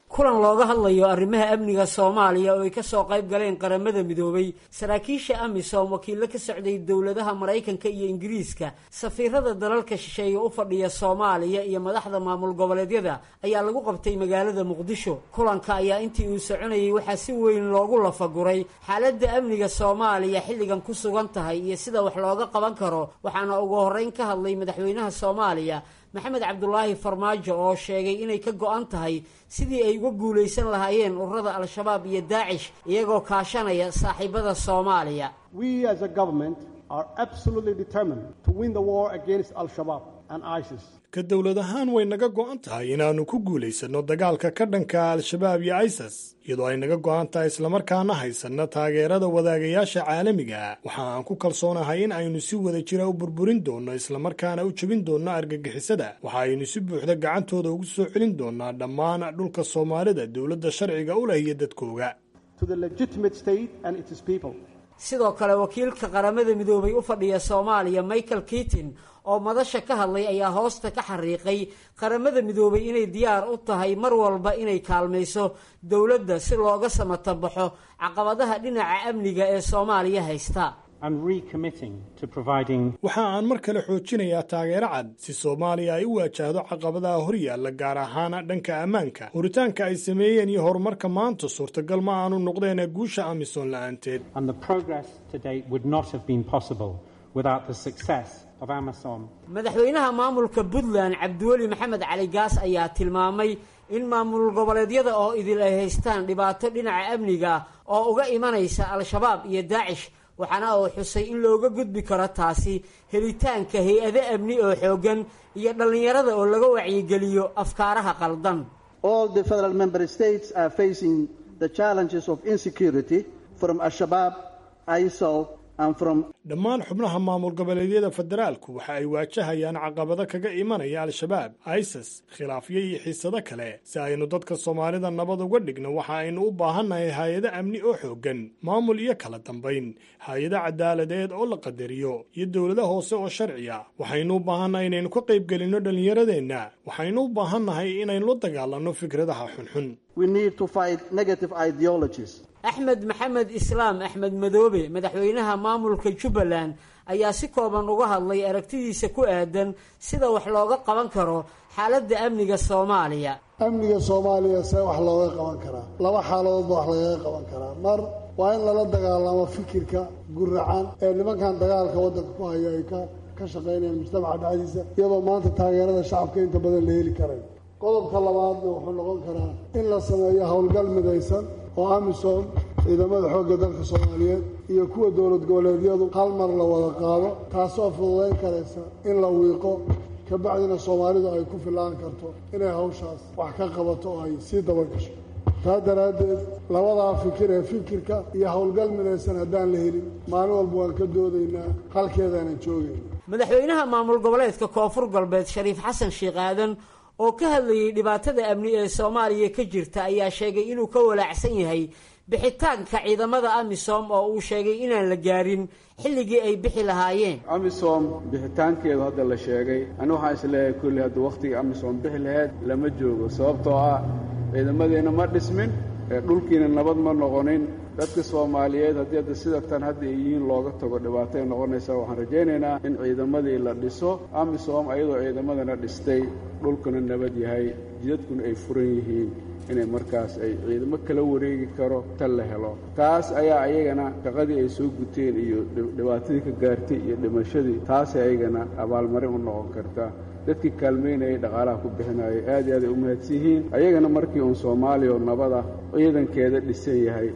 Kulan looga hadlayo arrimaha amniga Soomaaliya oo ay ka soo qayb galeen Qaramada Midoobay, saraakiisha AMISOM, wakiillo ka socday dowladaha Maraykanka iyo Ingiriiska, safiirada dalalka shisheeye u fadhiya Soomaaliya iyo madaxda maamul goboleedyada ayaa lagu qabtay magaalada Muqdisho. Kulanka ayaa intii uu soconayay waxaa si weyn loogu lafaguray xaaladda amniga Soomaaliya xilligan ku sugan tahay iyo sida wax looga qaban karo. Waxaana ugu horreyn ka hadlay madaxweynaha Soomaaliya Maxamed Cabdulaahi Farmaajo oo sheegay inay ka go-an tahay sidii ay uga guulaysan lahaayeen ururada Al-Shabaab iyo Daacish iyagoo kaashanaya saaxiibada Soomaaliya. We as a government are absolutely determined to win the war against Al-Shabaab and ISIS. Ka dowlad ahaan way naga go'an tahay inaannu ku guulaysanno dagaalka ka dhanka Al-Shabaab iyo ISIS, iyadoo ay naga go'an tahay islamarkaana haysanna taageerada wadaagayaasha caalamiga. Waxa aan ku kalsoonahay in aynu si wada jira u burburin doonno islamarkaana u jebin doonno argagixisada. Waxa aynu si buuxda gacantooda ugu soo celin doonnaa dhammaan dhulka Soomaalida dowladda sharciga u leh iyo dadkooga. To the legitimate state and its people. Sidoo kale wakiilka Qaramada Midoobay u fadhiya Soomaaliya Michael Keating oo madasha ka hadlay ayaa hoosta ka xariiqay Qaramada Midoobay inay diyaar u tahay mar walba inay kaalmayso dowladda si looga samatabaxo caqabadaha dhinaca amniga ee Soomaaliya haysta. Waxa aan mar kale xoojinayaa taageero cad si Soomaaliya ay u waajahdo caqabadaha horyaalla, gaar ahaan dhanka ammaanka. Horitaanka ay sameeyeen iyo horumarka maanta suurtagal ma aanu noqdeen guusha AMISOM la'aanteed. Madaxweynaha maamulka Puntland Cabdiweli Maxamed Cali Gaas ayaa tilmaamay in maamul goboleedyada oo idil ay haystaan dhibaato dhinaca amniga oo uga imanaysa Al-Shabaab iyo Daacish, waxaana uu xusay in looga gudbi karo taasi helitaanka hay-ado amni oo xooggan iyo dhallinyarada oo laga wacyigeliyo afkaaraha qaldan. All the federal member states are facing the challenges of insecurity from Al-Shabaab, ISIL and from Dhammaan xubnaha maamul goboleedyada federaalku waxa ay waajahayaan caqabado kaga imanaya Al-Shabaab, ISIS, khilaafyo iyo xiisado kale. Si aynu dadka Soomaalida nabad uga dhigno, waxa aynu u baahannahay hay-ado amni oo xooggan, maamul iyo kala dambayn, hay-ado cadaaladeed oo la qadariyo iyo dowlado hoose oo sharciya. Waxaynu u baahannahay inaynu ka qaybgelinno dhallinyaradeenna. Waxaynu u baahannahay inaynu la dagaalanno fikradaha xunxun. We need to fight negative ideologies. Axmed Maxamed Islaam Axmed Madoobe, madaxweynaha maamulka Jubbaland, ayaa si kooban uga hadlay aragtidiisa ku aadan sida wax looga qaban karo xaaladda amniga Soomaaliya. Amniga Soomaaliya see wax looga qaban karaa? Laba xaaladood ba wax lagaga qaban karaa. Mar waa in lala dagaalamo fikirka guracan ee nimankan dagaalka waddanka ku hayo ay ka shaqaynayaan mujtamaca dhexdiisa, iyadoo maanta taageerada shacabka inta badan la heli karayo. Qodobka labaadna wuxuu noqon karaa in la sameeyo howlgal midaysan oo AMISOM, ciidamada xoogga dalka Soomaaliyeed iyo kuwa dowlad goboleedyadu hal mar la wada qaado, taasoo fududayn karaysa in la wiiqo, kabacdina Soomaalidu ay ku fillaan karto inay hawshaas wax ka qabato oo ay sii dabagasho. Taa daraaddeed labadaa fikir ee fikirka iyo howlgal midaysan haddaan la helin, maalin walba waan ka doodaynaa, halkeedaanan joogayna. Madaxweynaha maamul goboleedka Koonfur Galbeed Shariif Xasan Sheekh Aadan oo ka hadlayay dhibaatada amni ee Soomaaliya ka jirta ayaa sheegay inuu ka walaacsan yahay bixitaanka ciidamada amisom oo uu sheegay inaan la gaarin xilligii ay bixi lahaayeen. Amisom bixitaankeedu hadda la sheegay, ani waxaan isleeyahay kulli hadda wakhtigii amisom bixi lahayd lama joogo, sababtoo ah ciidamadeenna ma dhismin, dhulkiina nabad ma noqonin. Dadka Soomaaliyeed haddii hadda sida tan hadda ay yihiin looga tago dhibaatay noqonaysaa. Waxaan rajaynaynaa in ciidamadii la dhiso, amisom ayadoo ciidamadana dhistay, dhulkuna nabad yahay, jidadkuna ay furan yihiin, inay markaas ay ciidamo kala wareegi karo tan la helo. Taas ayaa ayagana shaqadii ay soo guteen iyo dhibaatadii ka gaartay iyo dhimashadii, taasay ayagana abaalmarin u noqon karta. Dadkii kaalmaynayay, dhaqaalaha ku bixinayay, aad iyo aad ay u mahadsan yihiin. Ayagana markii uun Soomaaliya oo nabada ciidankeeda dhisan yahay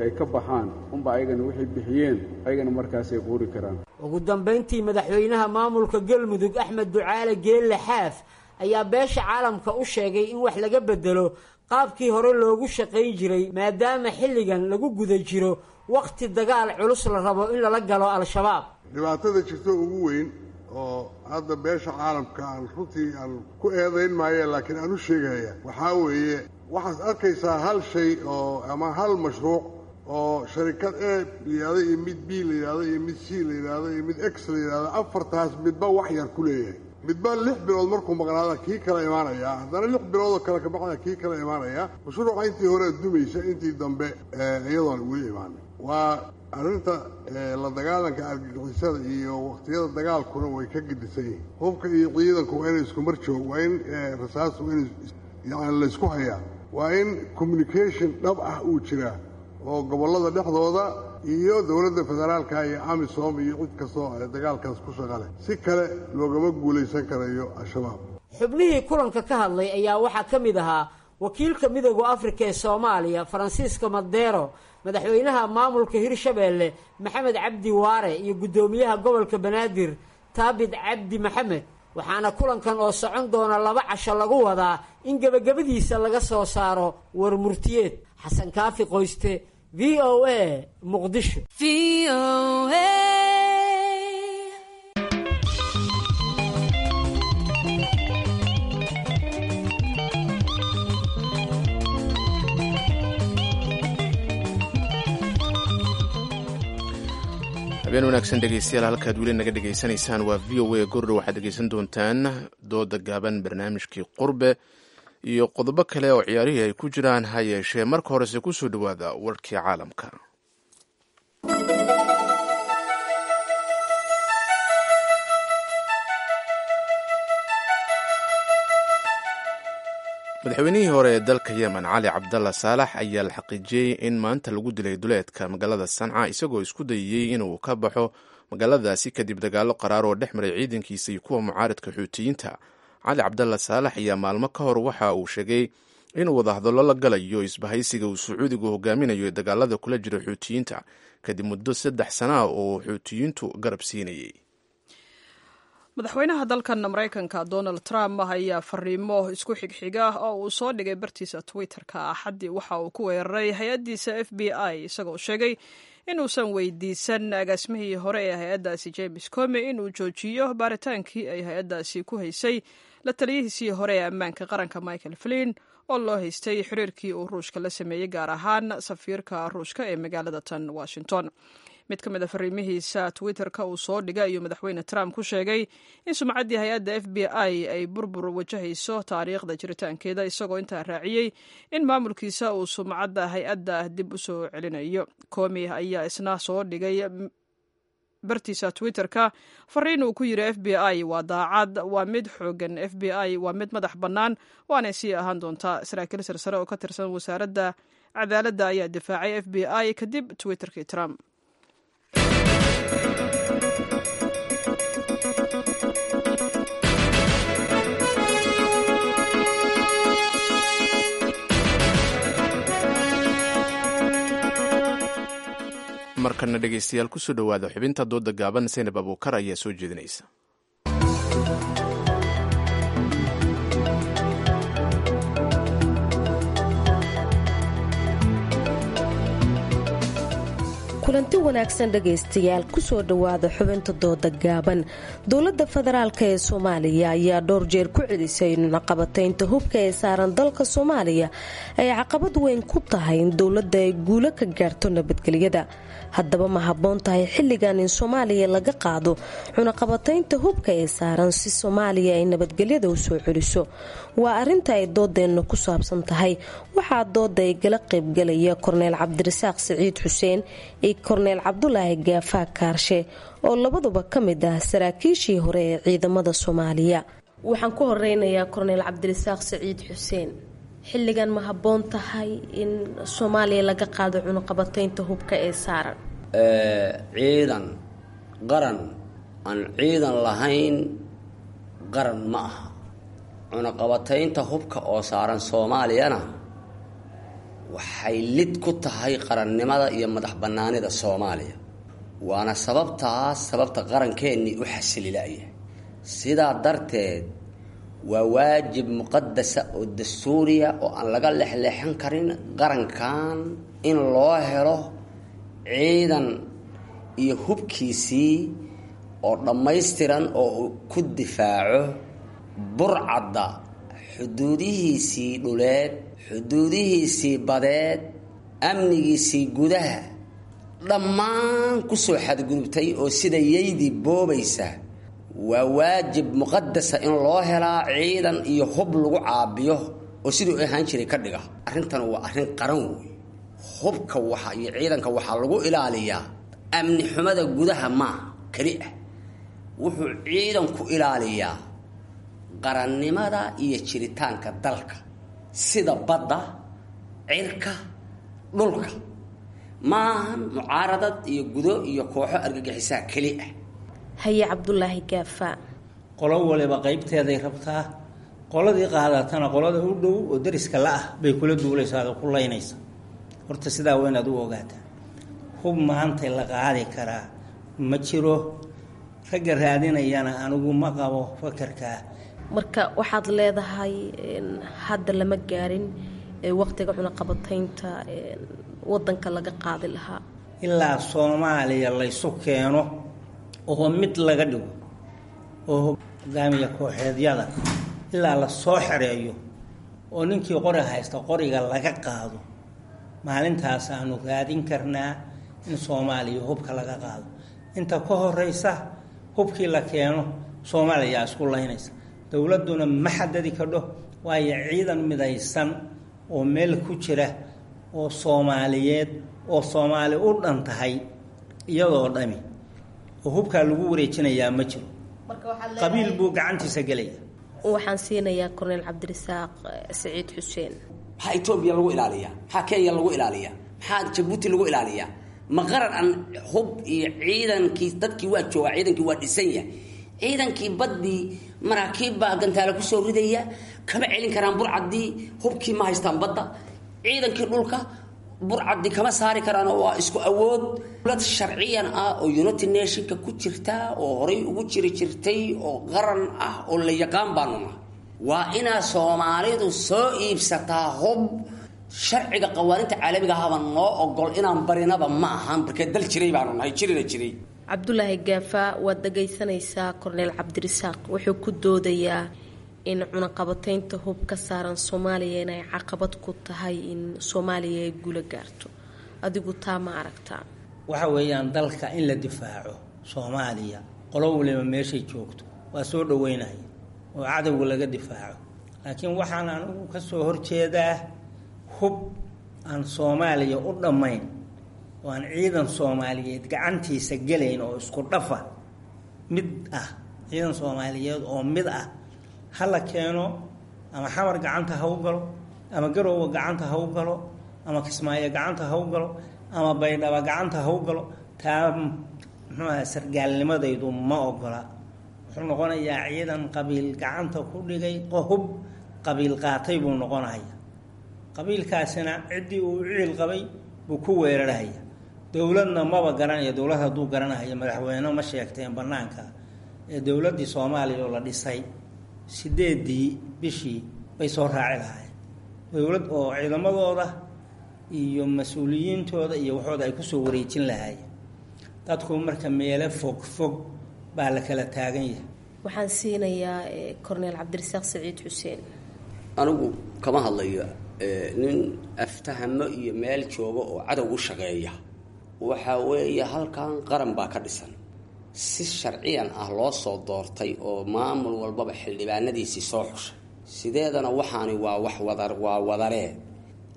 ay ka baxaan unba ayagana wixii bixiyeen ayagana markaasay quuri karaan. Ugu dambayntii, madaxweynaha maamulka Galmudug Axmed Ducaale Geelle Xaaf ayaa beesha caalamka u sheegay in wax laga bedelo qaabkii hore loogu shaqayn jiray, maadaama xilligan lagu guda jiro wakhti dagaal culus la rabo in lala galo Al-Shabaab. Dhibaatada jirto ugu weyn oo hadda beesha caalamka aan runtii aan ku eedayn maaye, laakiin aan u sheegaya waxaa weeye, waxaad arkaysaa hal shay oo ama hal mashruuc oo sharikad A la yidhahdo iyo mid B la yidhahdo iyo mid C la yidhahdo iyo mid X la yidhahdo, afartaas midba wax yar ku leeyahay. Midba 6 bilood markuu maqnaada kii kala imaanaya, haddana 6 biloodoo kale kabacda kii kala imaanaya. Mashruuca intii hore dumaysa, intii dambe iyadoon weli imaanay. Waa arrinta la dagaalanka argagixisada iyo waqtiyada dagaalkuna way ka gedisan yihiin. Hubka iyo ciidanku waa inay isku mar joog, waa in rasaas, waa in yani laysku hayaa, waa in communication dhab ah uu jiraa oo gobollada dhexdooda iyo dowladda federaalka iyo amisom iyo cid kastoo dagaalkaas ku shaqale. Si kale loogama guulaysan karayo Al-Shabaab. Xubnihii kulanka ka hadlay ayaa waxaa ka mid ahaa wakiilka Midooda Afrika ee Soomaaliya Faransiisko Madero, madaxweynaha maamulka Hirshabeelle Maxamed Cabdi Waare iyo guddoomiyaha gobolka Banaadir Taabid Cabdi Maxamed. Waxaana kulankan oo socon doona 2 casho lagu wadaa in gebagabadiisa laga soo saaro war murtiyeed. Xasan Kaafi Qoyste, VOA, Muqdisho. Habeen wanaagsan dhegeystayaal, halkaad weli naga dhegeysanaysaan waa VOA. Gordho waxaad dhegeysan doontaan dooda gaaban, barnaamijkii Qurbe iyo qodobo kale oo ciyaarihii ay ku jiraan. Ha yeeshee marka horese kusoo dhowaada warkii caalamka. Madaxweynihii hore ee dalka Yemen Cali Cabdalla Saalax ayaa la xaqiijiyey in maanta lagu dilay duleedka magaalada Sanca, isagoo isku dayayey inuu ka baxo magaaladaasi kadib dagaallo qaraar oo dhex maray ciidankiisa iyo kuwa mucaaridka Xuutiyiinta. Cali Cabdalla Saalax ayaa maalmo ka hor waxa uu sheegay inuu wadahadallo la galayo isbahaysiga uu Sacuudigu hogaaminayo ee dagaalada kula jira Xuutiyiinta, kadib muddo 3 sana ah oo Xuutiyiintu garab siinayay. Madaxweynaha dalkan Maraykanka Donald Trump ayaa fariimo isku xigxiga oo uu soo dhigay bartiisa Twitter-ka Axaddii waxa uu ku weeraray hay-addiisa FBI, isagoo sheegay inuusan weydiisan agaasimihii hore ee hay-addaasi James Comey inuu joojiyo baaritaankii ay hay-addaasi ku haysay la taliyihiisii hore ee ammaanka qaranka Michael Flynn, oo loo haystay xiriirkii uu Ruushka la sameeyey, gaar ahaan safiirka Ruushka ee magaalada tan Washington. Mid ka mid a fariimihiisa Twitter-ka uu soo dhigay ayuu madaxweyne Trump ku sheegay in sumcaddii hay-adda FBI ay burbur wajahayso taariikhda jiritaankeeda, isagoo intaa raaciyey in maamulkiisa uu sumcadda hay-adda dib u soo celinayo. Comey ayaa isna soo dhigay bartiisa Twitter-ka fariin uu ku yidhi: FBI waa daacad, waa mid xoogan, FBI waa mid madax bannaan, waanay sii ahaan doontaa. Saraakiil sarsare oo ka tirsan wasaaradda cadaaladda ayaa difaacay FBI kadib Twitterkii Trump. Markana dhegeystayaal, kusoo dhowaada xubinta dooda gaaban. Saynab Abuukar ayaa soo jeedinaysa. Kulanti wanaagsan dhegaystayaal, kusoo dhowaada xubinta dooda gaaban. Dowladda federaalk ee Soomaaliya ayaa dhowr jeer ku celisay in caqabataynta hubka ee saaran dalka Soomaaliya ay caqabad weyn ku tahay in dowladda ay guulo ka gaarto nabadgelyada. Haddaba ma habboon tahay xilligan in Soomaaliya laga qaado cunaqabataynta hubka ee saaran si Soomaaliya ay nabadgelyada u soo celiso? Waa arinta ay doodeenna ku saabsan tahay. Waxaa dooda ay gala qaybgalaya Korneel Cabdirasaaq Siciid Xuseen iyo Korneel Cabdulaahi Gaafaa Kaarshe, oo labaduba ka mid ah saraakiishii hore ee ciidamada Soomaaliya. Waxaan ku horeynayaa Korneel Cabdirasaaq Siciid Xuseen. Xilligan ma habboon tahay in Soomaaliya laga qaado cunuqabataynta hubka ee saaran? Ciidan qaran aan ciidan lahayn qaran ma aha. Cunaqabataynta hubka oo saaran Soomaaliyana waxay lid ku tahay qarannimada iyo madax bannaanida Soomaaliya, waana sababtaas sababta qarankeenii u xasililaya. Sidaa darteed waa waajib muqadasa oo dastuuriya oo aan laga lexleexan karin qarankan in loo helo ciidan iyo hubkiisii oo dhammaystiran oo uu ku difaaco burcadda xuduudihiisii dhuleed, xuduudihiisii badeed, amnigiisii gudaha dhammaan kusoo xadgudubtay oo sida yaydii boobaysa. Waa waajib muqadasa in loo helaa ciidan iyo hub lagu caabiyo oo siduu ahaan jiray ka dhiga. Arrintan waa arrin qaran wey. Hubka waxa iyo ciidanka waxaa lagu ilaaliyaa amni xumada gudaha maaha keli ah, wuxuu ciidanku ilaaliyaa qarannimada iyo jiritaanka dalka, sida badda, cirka, dhulka. Maahan mucaaradad iyo gudo iyo kooxo argagixisaa keli ah. Haye Cabdulaahi Gaafa. Qolo waliba qaybteeday rabtaa. Qoladii qaadatana qolada u dhow oo dariska la-ah bay kula duulaysaa oo ku laynaysa. Horta sidaa waa inaad u ogaataa, hub maanta la qaadi karaa ma jiro. Ragga raadinayana anigu ma qabo fakarkaa. Marka waxaad leedahay hadda lama gaarin waqtiga cunaqabataynta wadanka laga qaadi lahaa? Ilaa Soomaaliya laysu keeno oo mid laga dhigo oo hogaamiya kooxeedyada ilaa la soo xereeyo oo ninkii qori haysta qoriga laga qaado, maalintaas aanu raadin karnaa in Soomaaliya hubka laga qaado. Inta ka horeysa hubkii la keeno Soomaaliya isku laynaysa, dowladduna ma xadadi kadho, waayo ciidan midaysan oo meel ku jira oo Soomaaliyeed oo Soomaali u dhan tahay iyadoo dhami oo hubkaa lagu wareejinayaa ma jiro. Qabiil buu gacantiisa gelaya. Waxaan siinayaa Korneel Cabdirasaaq Siciid Xuseen. Maxaa Etoobiya lagu ilaaliyaa? Maxaa Kenya lagu ilaaliyaa? Maxaa Jabuuti lagu ilaaliyaa? Ma qaran aan hub iyo ciidankii dadkii waa joogaa, ciidankii waa dhisan yahay, ciidankii baddii maraakiib baa gantaale kusoo ridaya, kama celin karaan burcaddii, hubkii ma haystaan badda. Ciidankii dhulka burcaddi kama saari karaan oo waa isku awood. Dowlad sharciyan ah oo United Nationka ku jirta oo horay ugu jiri jirtay oo qaran ah oo la yaqaan baanu nahay. Waa inaa Soomaalidu soo iibsataa hub. Sharciga qawaaninta caalamiga ahaba noo ogol inaan barinaba ma ahan, markee dal jiray baanu nahay, jirina jiray. Cabdulaahi Gaafa, waad dhagaysanaysaa Korneel Cabdirasaaq wuxuu ku doodayaa in cunaqabataynta hub ka saaran Soomaaliya inay caqabad ku tahay in Soomaaliya ay guula gaarto. Adigu taa ma aragtaa? Waxa weeyaan dalka in la difaaco Soomaaliya, qolo waliba meeshay joogto waa soo dhaweynaya oo cadowga laga difaaco, laakiin waxaan anigu ka soo horjeedaa hub aan Soomaaliya u dhammayn oo aan ciidan Soomaaliyeed gacantiisa gelayn oo isku dhafa mid ah. Ciidan Soomaaliyeed oo mid ah ha la keeno, ama Xamar gacanta ha u galo, ama Garoowe gacanta ha u galo, ama Kismaayo gacanta ha u galo, ama Baydhaba gacanta ha u galo. Taa muxuu aha, sargaalnimadaydu ma ogola. Wuxuu noqonayaa ciidan qabiil gacanta ku dhigay, hub qabiil qaatay buu noqonaya. Qabiilkaasina ciddii uu ciil qabay buu ku weerarhaya. Dowladna maba garanaya. Dowlad hadduu garanahayo madaxweyne ma sheegteen bannaanka ee dowladdii Soomaaliya oo la dhisay 8-dii bishii bay soo raaci lahaayeen dowlad oo ciidamadooda iyo mas-uuliyiintooda iyo waxooda ay kusoo wareejin lahaayeen. Dadku marka meelo fog fog baa la kala taagan yahay. Waxaan siinayaa Korneel Cabdirasaaq Saciid Xuseen. Anigu kama hadlayo nin aftahamo iyo meel jooga oo cadow u shaqeeya. Waxaa weeye halkan qaran baa ka dhisan, si sharciyan ah loo soo doortay oo maamul walbaba xildhibaanadiisii soo xushay. Sideedana waxaani waa wax wadar, waa wadaree.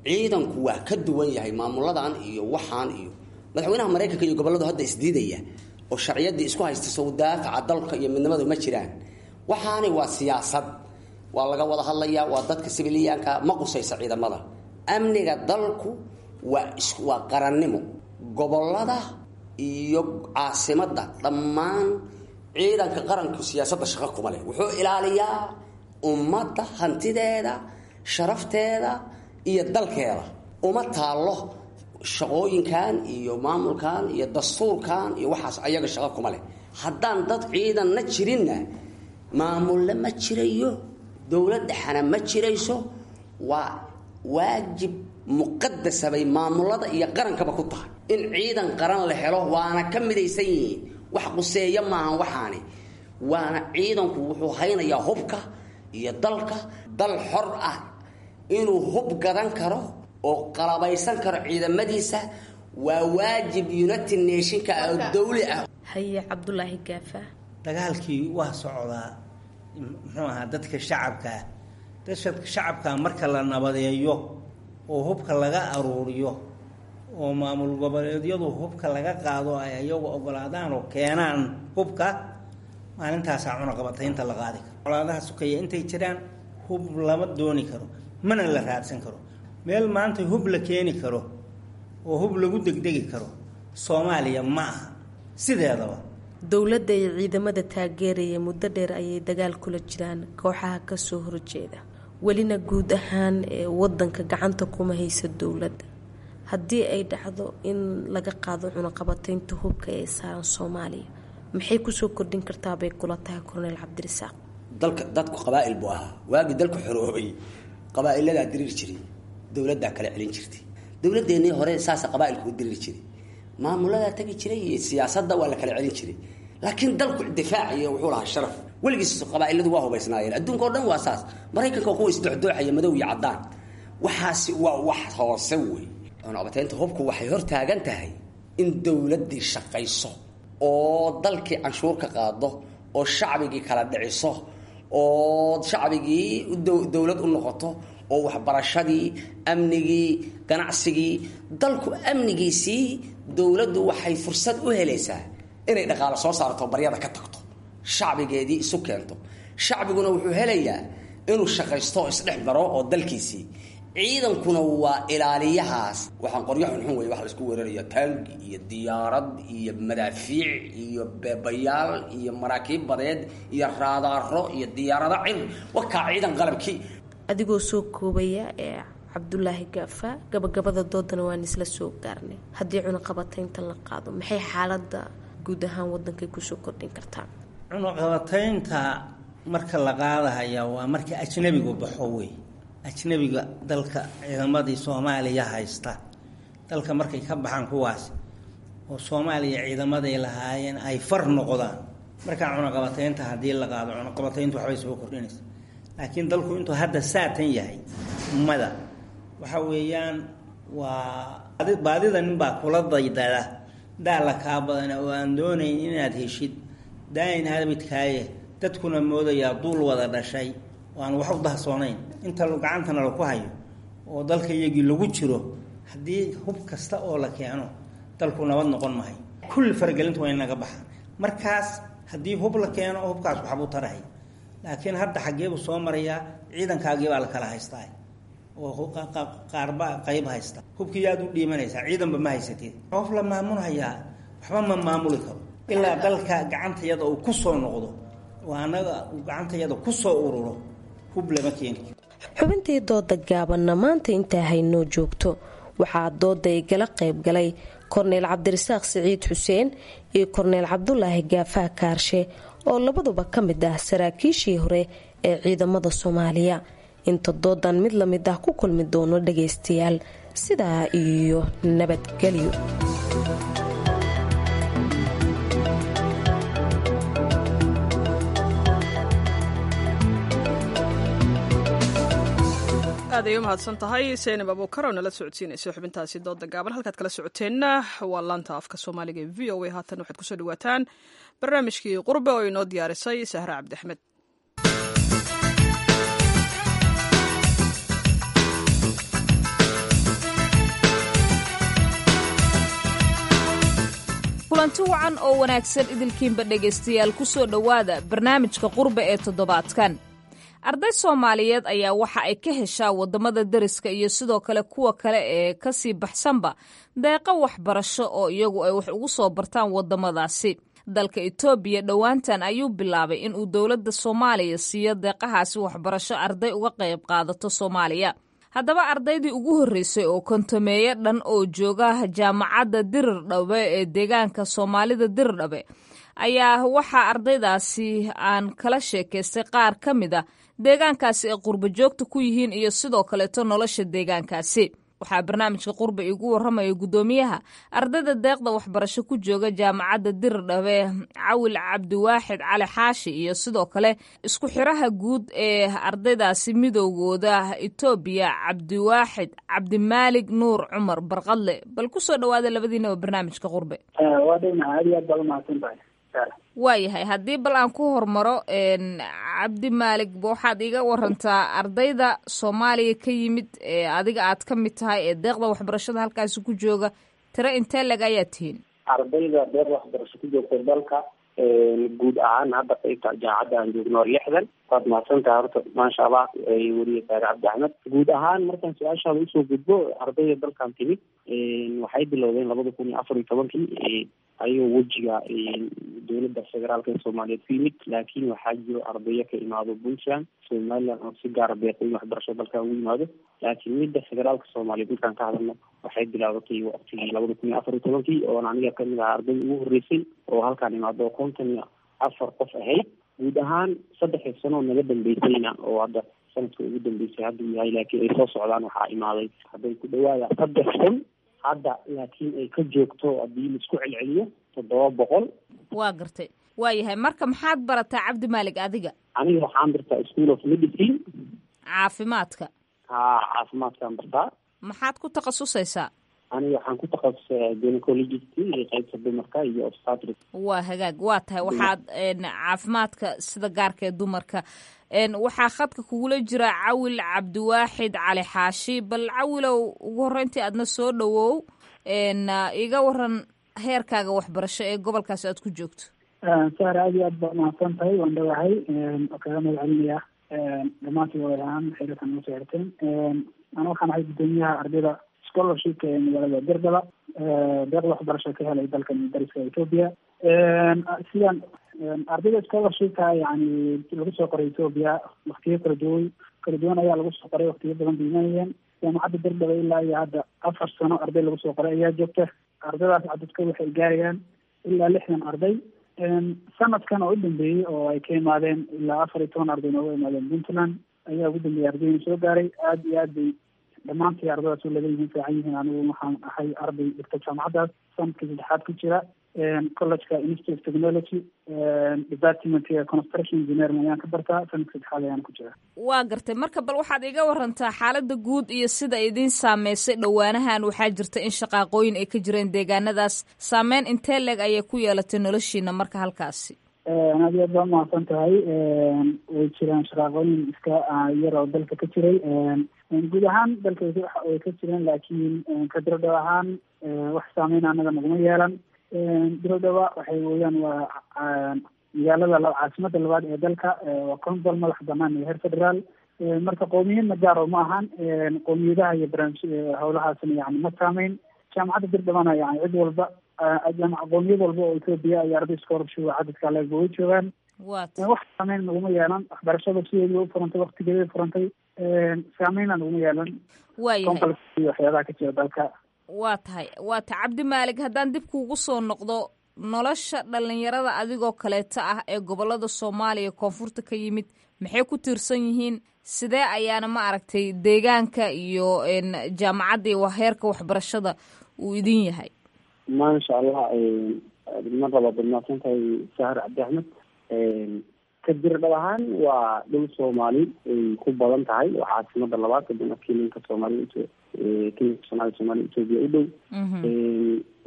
Ciidanku waa ka duwan yahay maamuladan iyo waxaan iyo madaxweynaha Maraykanka iyo gobolladu hadda isdiidaya oo sharciyaddii isku haysta. Sow daafaca dalka iyo midnimadu ma jiraan. Waxaani waa siyaasad, waa laga wada hadlayaa, waa dadka sibiliyaanka ma qusaysa ciidamada. Amniga dalku waa qarannimo. Gobollada iyo caasimadda dhammaan ciidanka qaranku siyaasadda shaqo kuma leh. Wuxuu ilaaliyaa ummadda hantideeda, sharafteeda iyo dalkeeda. Uma taallo shaqooyinkan iyo maamulkan iyo dastuurkan iyo waxaas, ayaga shaqo kuma leh. Haddaan dad ciidanna jirinna maamulle ma jirayo, dowlad dhexana ma jirayso. Waa waajib muqadasa bay maamulada iyo qarankaba ku tahay in ciidan qaran la helo, waana ka midaysan yihiin. Wax quseeya maahan waxaani, waana ciidanku wuxuu haynayaa hubka iyo dalka. Dal xor ah inuu hub gadan karo oo qalabaysan karo ciidamadiisa waa waajib United Nationka oo dawli ah. Haye, Cabdulaahi Gaafa. Dagaalkii waa socdaa. Muxuu ahaa dadka shacabkaa, dadka shacabkaa marka la nabadeeyo oo hubka laga aruuriyo oo maamul goboleedyadu hubka laga qaado, ay ayagu ogolaadaan oo keenaan hubka, maalintaasaa cunaqabataynta la qaadi karo. Colaadaha sukeeya intay jiraan hub lama dooni karo, mana la raadsan karo. Meel maanta hub la keeni karo oo hub lagu degdegi karo Soomaaliya ma aha sideedaba. Dowladda iyo ciidamada taageeraya muddo dheer ayay dagaal kula jiraan kooxaha kasoo horjeeda, welina guud ahaan wadanka gacanta kuma haysa dowladda. Haddii ay dhacdo in laga qaado cunaqabataynta hubka ee saaran Soomaaliya, maxay kusoo kordhin kartaa bay kula tahay, Korneel Cabdirasaaq? Dalka dadku qabaa'il buu ahaa waagii dalku xoroobay. Qabaa'iladaa diriiri jiray, dowladdaa kala celin jirtay. Dowladeennii hore saasa qabaa'ilku u diriiri jiray, maamuladaa tagi jiray iyo siyaasadda waa la kala celin jiray, laakiin dalku difaac iyo wuxuu lahaa sharaf. Weligiis qabaa'iladu waa hubaysnaayeen. Adduunka o dhan waa saas. Maraykanka waa kuwa isdooxdooxaya, madow iyo caddaan. Waxaasi waa wax hoose wey. Cunaqabataynta hubku waxay hor taagan tahay in dowladdii shaqayso oo dalkii canshuur ka qaado oo shacbigii kala dhiciso oo shacbigii dowlad u noqoto oo waxbarashadii, amnigii, ganacsigii, dalku amnigiisii. Dowladdu waxay fursad u helaysaa inay dhaqaalo soo saarto, baryada ka tagto, shacbigeedii isu keento. Shacbiguna wuxuu helayaa inuu shaqaysto oo isdhex maro oo dalkiisii. Ciidankuna waa ilaaliyahaas. Waxaan qoryo xunxun wey wax la isku weeraraya, taangi iyo diyaarad iyo madaafiic iyo beebayaal iyo maraakiib badeed iyo raadaaro iyo diyaarado cir wakaa ciidan qalabkii. Adigoo soo koobaya ee Cabdulaahi Gaafa, gabagabada doodana waan isla soo gaarnay. Haddii cunaqabataynta la qaado, maxay xaaladda guud ahaan wadankay kusoo kordhin kartaa? Cunaqabataynta marka la qaadahaya waa marka ajnabigu baxo wey. Ajnabiga dalka ciidamadii Soomaaliya haysta dalka markay ka baxaan kuwaas oo Soomaaliya ciidamaday lahaayeen ay far noqdaan, markaa cunaqabataynta haddii la qaado, cunaqabatayntu waxbay soo kordhinaysa. Laakiin dalku intuu hadda saatan yahay mada waxa weeyaan waa baadida ninbaa kula daydada daala kaa badan oo aan doonayn inaad heshid daayin habidkaaye. Dadkuna moodayaa duul wada dhashay oo aan wax u dahsoonayn inta gacantana laku hayo oo dalka iyagii lagu jiro. Haddii hub kasta oo la keeno dalku nabad noqon mahayo. Kulli faragelintu waa inaga baxaan markaas. Haddii hub la keeno hubkaas waxbuu tarahay, laakiin hadda xaggeebuu soo marayaa? Ciidankaagii baa la kala haystaa oo qaarba qayb haysta. Hubkii aad u dhiimanaysaa, ciidanba ma haysatid. Qof la maamulhayaa waxba ma maamuli karo ilaa dalka gacantayada uu ku soo noqdo oo annaga uu gacantayada ku soo ururo. Hub lama keeni karo. Xubintii dooda gaabanna maanta intaa haynoo joogto. Waxaa dooda igala qayb galay Korneyl Cabdirasaaq Siciid Xuseen iyo Korneyl Cabdulaahi Gaafaha Kaarshe oo labaduba ka mid ah saraakiishii hore ee ciidamada Soomaaliya. Inta doodan mid lamid ah ku kulmi doono dhagaystayaal, Sidaa iyo nabadgelyo. Aad ay u mahadsan tahay Seynab Abuukar oo nala socodsiinaysa xubintaasi dooda gaaban. Halkaad kala socoteenna waa laanta afka Soomaaliga ee VOA. Haatan waxaad kusoo dhawaataan barnaamijkii Qurbe oo inoo diyaarisay Sahre Cabdi Axmed. Kulanti wacan oo wanaagsan idilkiinba dhegaystayaal, ku soo dhowaada barnaamijka Qurbe ee toddobaadkan. Arday Soomaaliyeed ayaa waxa ay ka heshaa waddamada deriska iyo sidoo kale kuwa kale ee ka sii baxsanba deeqo waxbarasho oo iyagu ay wax ugu soo bartaan waddamadaasi. Dalka Itoobiya dhowaantan ayuu bilaabay inuu dowladda Soomaaliya siiyo deeqahaasi waxbarasho arday uga qayb qaadato Soomaaliya. Haddaba ardaydii ugu horreysay oo kontomeeyo dhan oo jooga jaamacadda Dirirdhabe ee deegaanka Soomaalida Dirirdhabe ayaa waxaa ardaydaasi aan kala sheekaystay qaar ka mid a deegaankaasi ay qurbo joogta ku yihiin iyo sidoo kaleeto nolosha deegaankaasi. Waxaa barnaamijka Qurba iigu warramaya guddoomiyaha ardayda deeqda waxbarasho ku jooga jaamacadda Dirirdhabe, Cawil Cabdiwaaxid Cali Xaashi, iyo sidoo kale isku xiraha guud ee ardaydaasi midoogooda Itoobiya, Cabdiwaaxid Cabdimaalig Nuur Cumar Barqadle. Bal kusoo dhawaada labadiinaba barnaamijka Qurbe. Waa dhownaha, aad iyo aad baad umahadsan tahay. Waayahay, haddii bal aan ku hormaro Cabdi Maalig, waxaad iiga warantaa ardayda Soomaaliya ka yimid ee adiga aad ka mid tahay ee deeqda waxbarashada halkaasi ku jooga, tiro intee leg ayaa tihiin? Ardayda deeqda waxbarasho ku joogta dalka guud ahaan hadda qaybta jaamacadda aan joogno waa 60. Waad mahadsan tahay horta, maasha Allah, weriye Saare Cabdi Axmed. Guud ahaan markaan su-aashaada usoo gudbo, ardayda dalkan timid waxay bilowdeen 2014-kii ayagoo wejiga dowladda federaalka ee Soomaaliyeed ku yimid, laakiin waxaa jiro ardayo ka imaado Puntland, Somaliland oo si gaara deeqooyin waxbarasho dalkan ugu yimaado. Laakiin midda federaalka Soomaaliyeed markaan ka hadalno waxay bilaabatay waqtigii 2014-kii, oon aniga kamid ahaa ardayda ugu horreysay oo halkaan imaado oo 54 qof ahayd. Guud ahaan 3 sano naga dambeysayna, oo hadda sanadka ugu dambeysay hadduu yahay laakiin ay soo socdaan, waxaa imaaday hadday ku dhawaada 3000 hadda, laakiin ay ka joogto haddii laisku celceliyo 700. Waa gartay, waayahay. Marka maxaad barataa, Cabdi Maalig, adiga? Aniga waxaan bartaa School of Medicine. Caafimaadka? Ha, caafimaadkaan bartaa. Maxaad ku takhasusaysaa? Aniga waxaan ku takhasusay gynecologist iyo qaybta dumarka iyo obstetrics. Waa hagaag, waa tahay. Waxaad caafimaadka sida gaarka ee dumarka. Waxaa khadka kugula jira Cawil Cabdiwaaxid Cali Xaashi. Bal Cawilow, ugu horreyntii aadna soo dhawow, iga waran heerkaaga waxbarasho ee gobolkaasi aad ku joogto. Sahra, aad iyo aad baad mahadsan tahay, waan dhawahay oo kaga mahad celinayaa dhammaantii wadaad ahaan xiriirkan ugu soo xirteen. Ana waxaan ahay guddoomiyaha ardayda scholarshipka ee magaalada Dirdaba, deeqda waxbarasho ka helay dalkan dariska Ethiopia. Sidaan ardayda scholarshipka yani lagu soo qoray Ethiopia waktiyo kala duwan ayaa lagu soo qoray, waktiyo badan bay imanayeen jaamacadda Dirdaba. Ilaa iyo hadda 4 sano arday lagu soo qoray ayaa joogta. Ardaydaas cadadkooda waxay gaarayaan ilaa 60 arday. Sanadkan oo u dambeeyey oo ay ka imaadeen ilaa 14 arday nooga imaadeen Puntland ayaa ugu dambeeyey ardayna soo gaaray. Aad iyo aad bay dhammaantii ardadaas u laga yihiin, fiican yihiin. Anigu waxaan ahay arday dhigta jaamacaddaas sanadkii saddexaad ku jira, collegeka Institute of Technology, departmentga construction engineering ayaan ka bartaa, sanadka saddexaad ayaan ku jira. Waa gartay. Marka bal waxaad iga warantaa xaaladda guud iyo sida idiin saameysay dhowaanahan. Waxaa jirta in shaqaaqooyin ay ka jireen deegaanadaas, saameyn intee leeg ayay ku yeelatay noloshiina marka halkaasi? Aad iyo aad baa umahadsan tahay. Way jiraan shaqaaqooyin iska yar oo dalka ka jiray, guud ahaan dalka way ka jireen, laakiin ka dirodhow ahaan wax saameyn anaga naguma yeelan. Dirodhowa waxay weeyaan waa magaalada caasimada labaad ee dalka, waa consul madax banaan iyo heer federaal. Marka qowmiyadna gaar oo ma ahan, qowmiyadaha iyo barnaamij howlahaasna yani ma saameyn. Jaamacadda Dirdhabana yani cid walba, qowmiyad walba oo Ethiopia iyo arday scholarship cadadka leegba way joogaan. Wax saameyn naguma yeelan, waxbarashada sideedii u furantay, waktigeedii furantay, saameyna naguma yeelan. Waayahay. Iyo waxyaabaha ka jira dalka. Waa tahay, waa tahay. Cabdi Maalig, haddaan dib kuugu soo noqdo, nolosha dhalinyarada adigoo kaleeta ah ee gobolada Soomaaliya koonfurta ka yimid maxay ku tiirsan yihiin? Sidee ayaana ma aragtay deegaanka iyo jaamacadda iyo heerka waxbarashada uu idin yahay? Maasha Allah, mar labaad waad mahadsan tahay Sahar Cabdi Axmed. Ka Dirdhab ahaan waa dhul Soomaali ay ku badan tahay, oo caasimada labaad kadibna kilinka Soomaali, kilinka Soomaali, Soomaali Etoobiya u dhow.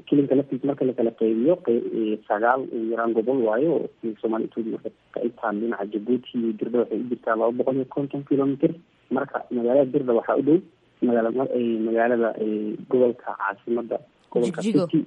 Kilinka laftiisa marka lakala qeybiyo 9 ugu yaraan gobol waayo oo kilinka Soomaali Etoobiya. Marka qaybtaan dhinaca Jabuuti iyo Dirdha waxay u jirtaa 250 kilomitr. Marka magaalada Dirdha waxaa u dhow magaalada gobolka caasimada gobolka City,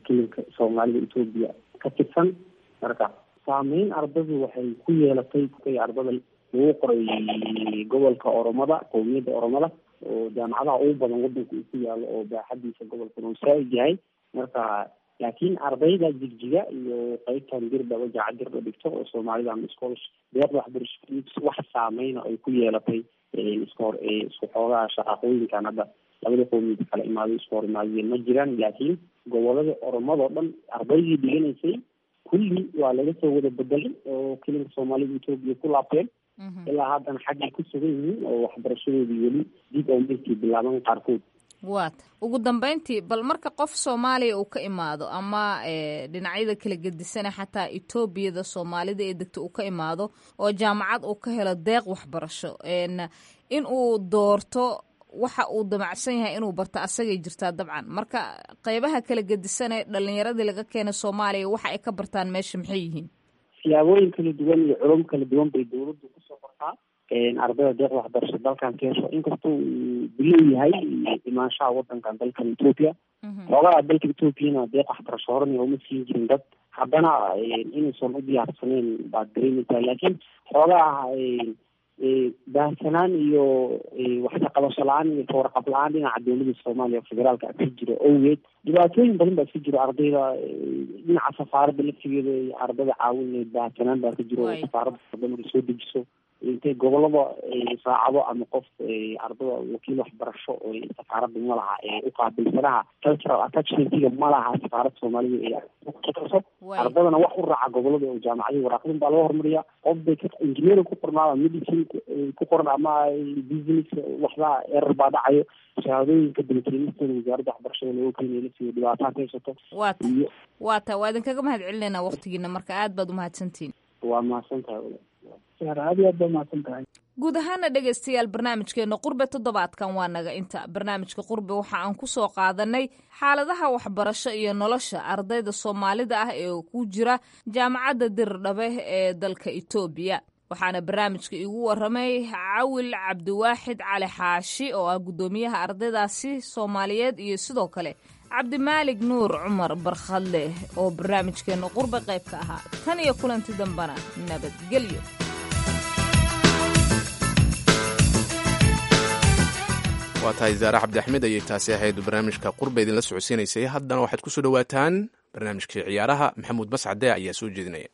kilinka Soomaalida Etoobiya ka tirsan. Marka saameyn ardadu waxay ku yeelatay ardada lagu qoray gobolka Oromada, qowmiyadda Oromada, oo jaamacadaha ugu badan wadanka uu ku yaalo oo baaxadiisa gobolkan uu saa'id yahay. Marka laakiin ardayda Jigjiga iyo qeybtan Dirdhaba, jaacad Dirdha dhigto oo Soomaalida ama scholarship deeqda waxbarasho, wax saameyna ay ku yeelatay iska hor isku xoogaha shaqaaqooyinkan hadda labada qowmiyad kala imaaday isku hor imaadeen ma jiraan. Laakiin gobolada Oromadoo dhan ardaydii dhiganaysay kulli waa laga soo wada bedelay oo kilinka Soomaalida Etoobiya ku laabteen. Ilaa haddana xaggay ku sugan yihiin oo waxbarashadoodii weli dib oo meelkii bilaaban qaarkood. Waata ugu dambeyntii, bal marka qof Soomaaliya uu ka imaado ama dhinacyada kala gedisana, xataa Etoobiyada Soomaalida ee degta uu ka imaado oo jaamacad uu ka helo deeq waxbarasho, in uu doorto waxa uu damacsan yahay inuu barto asagay jirtaa dabcan. Marka qeybaha kala gedisan ee dhalinyaradii laga keenay Soomaaliya waxa ay ka bartaan meesha maxay yihiin? Siyaabooyin kala duwan iyo culum kala duwan bay dawladdu kusoo qortaa ardayda deeqda waxbarasho dalkan ka hesho. Inkastoo uu bilow yahay imaanshaha wadankan dalkan Etoobiya, xoogaha dalka Etoobiyana deeq waxbarasho horena uma siin jirin dad, haddana inuusan u diyaarsaneyn baad dareemaysaa. Laakiin xoogaha baahsanaan iyo waxkaqabasho la-aan iyo kawarqab la-aan dhinaca dowladda Soomaaliya federaalka ka jiro owgeed, dhibaatooyin badan baa iska jiro ardayda dhinaca safaaradda laftigeeda ardada caawin baahsanaan baa ka jiro. Safaaradda wadamada soo dejiso intay gobolada raacdo ama qof ardada wakiil waxbarasho oo safaaradda ma laha ee uqaabilsanaha cultural attachmentiga ma laha safaaradda Soomaalida ee ardadana wax u raaca gobolada oo jaamacadii waraaqdin baa laga horumariya. Qof bay engineering ku qornaada, medicine ku qoran ama business, waxba erar baa dhacayo. Shahaadooyinka dalkeenistooda wasaaradda waxbarashada looga keenayo laftiga dhibaataa ka haysato. Waata waa idinkaga mahad celinaynaa waqtigiina, marka aad baad umahadsantihiin. Waa mahadsan tahay. Aad iyo aad baa mahadsan tahay. Guud ahaana dhegaystayaal, barnaamijkeena qurbe toddobaadkan waa naga inta. Barnaamijka qurbe waxa aan ku soo qaadanay xaaladaha waxbarasho iyo nolosha ardayda Soomaalida ah ee ku jira jaamacadda Dirdhabe ee dalka Etoobiya. Waxaana barnaamijka iigu waramay Cawil Cabdiwaaxid Cali Xaashi oo ah guddoomiyaha ardaydaasi Soomaaliyeed, iyo sidoo kale Cabdimaalig Nuur Cumar Barkhadleh oo barnaamijkeena qurbe qayb ka ahaa. Tan iyo kulanti dambana nabadgelyo. Waa tahay, Zaare Cabdi Axmed ayay taasi ahayd barnaamijka qurba idinla socodsiinaysay. Haddana waxaad ku soo dhowaataan barnaamijkii ciyaaraha. Maxamuud Mascade ayaa soo jeedinaya.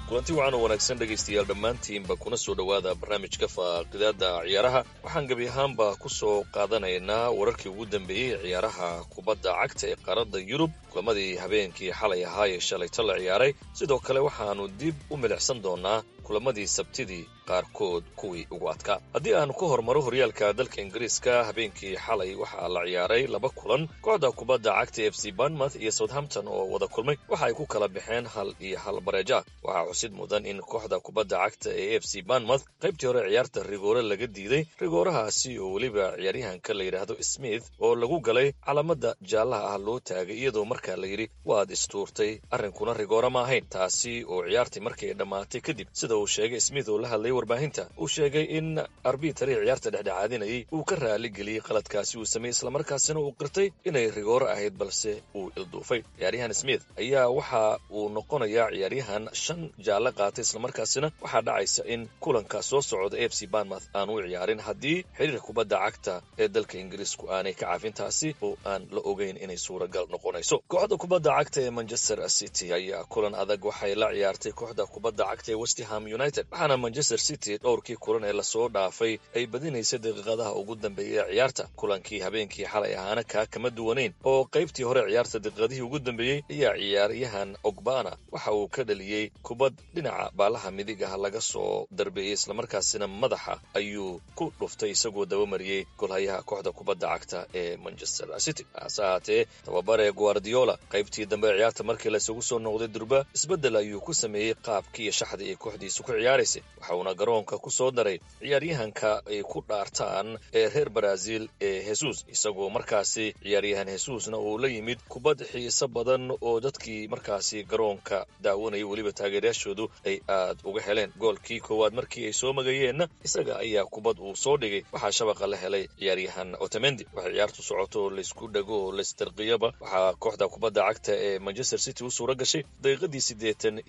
Kulanti wacan oo wanaagsan dhegaystayaal dhammaantiinba, kuna soo dhowaada barnaamijka faaqidaada ciyaaraha. Waxaan gebi ahaanba ku soo qaadanaynaa wararkii ugu dambeeyey ciyaaraha kubadda cagta ee qaaradda Yurub, kulamadii habeenkii xalay ahaa ee shalayto la ciyaaray. Sidoo kale waxaannu dib u milicsan doonaa kulamadii sabtidii qaarkood kuwii ugu adkaa. Haddii aan ku hormaro horyaalka dalka Ingiriiska, habeenkii xalay waxaa la ciyaaray laba kulan. Kooxda kubadda cagta F C Bournemouth iyo Southampton oo wada kulmay waxa ay ku kala baxeen 1-1 bareeja. Waxaa xusid mudan in kooxda kubadda cagta ee F C Bournemouth qaybtii hore ciyaarta rigoore laga diiday, rigoorahaasi oo weliba ciyaaryahanka la yidhaahdo Smith oo lagu galay calaamada jaallaha ah loo taagay, iyadoo markaa la yidhi waad istuurtay, arrinkuna rigoore ma ahayn. Taasi oo ciyaartii markay dhammaatay kadib, sida uu sheegay Smith oo la hadlay warbaahinta, uu sheegay in arbitari ciyaarta dhexdhexaadinayay uu ka raaligeliyey qaladkaasi uu sameeyey, islamarkaasina uu qirtay inay rigoore ahayd balse uu ilduufay. Ciyaaryahan Smith ayaa waxa uu noqonayaa ciyaaryahan 5 jaalle qaatay, islamarkaasina waxaa dhacaysa in kulanka soo socda F C Bournemouth aan u ciyaarin haddii xiriirka kubadda cagta ee dalka Ingiriisku aanay ka caafin, taasi oo aan la ogeyn inay suuragal noqonayso. Kooxda kubadda cagta ee Manchester City ayaa kulan adag waxay la ciyaartay kooxda kubadda cagta ee West Ham United, waxaana Manchester City dhowrkii kulan ee lasoo dhaafay ay badinaysay daqiiqadaha ugu dambeeyay ee ciyaarta. Kulankii habeenkii xalay ahaana kaa kama duwanayn, oo qaybtii hore ciyaarta daqiiqadihii ugu dambeeyey ayaa ciyaaryahan Ogbana waxa uu ka dhaliyey kubad dhinaca baalaha midig ah laga soo darbeeyey, islamarkaasina madaxa ayuu ku dhuftay isagoo dabamariyey golhayaha kooxda kubadda cagta ee Manchester City. Hase ahaatee tababare Guardiola qaybtii dambe ciyaarta markii laysugu soo noqday durba isbeddel ayuu ku sameeyey qaabkii iyo shaxdii ay kooxdiisu ku ciyaaraysay, waxauna garoonka ku soo daray ciyaaryahanka ay ku dhaartaan ee reer Brazil ee Jesus, isagoo markaasi ciyaaryahan Jesusna uu la yimid kubad xiiso badan oo dadkii markaasi garoonka daawanayay weliba taageerayaashoodu ay aad uga heleen. Goolkii koowaad markii ay soo magayeenna isaga ayaa kubad uu soo dhigay, waxaa shabaqa la helay ciyaaryahan Otamendi. Waxay ciyaartu socoto oo laysku dhago oo laystarqiyaba, waxaa kooxda kubadda cagta ee Manchester City u suura gashay daqiiqadii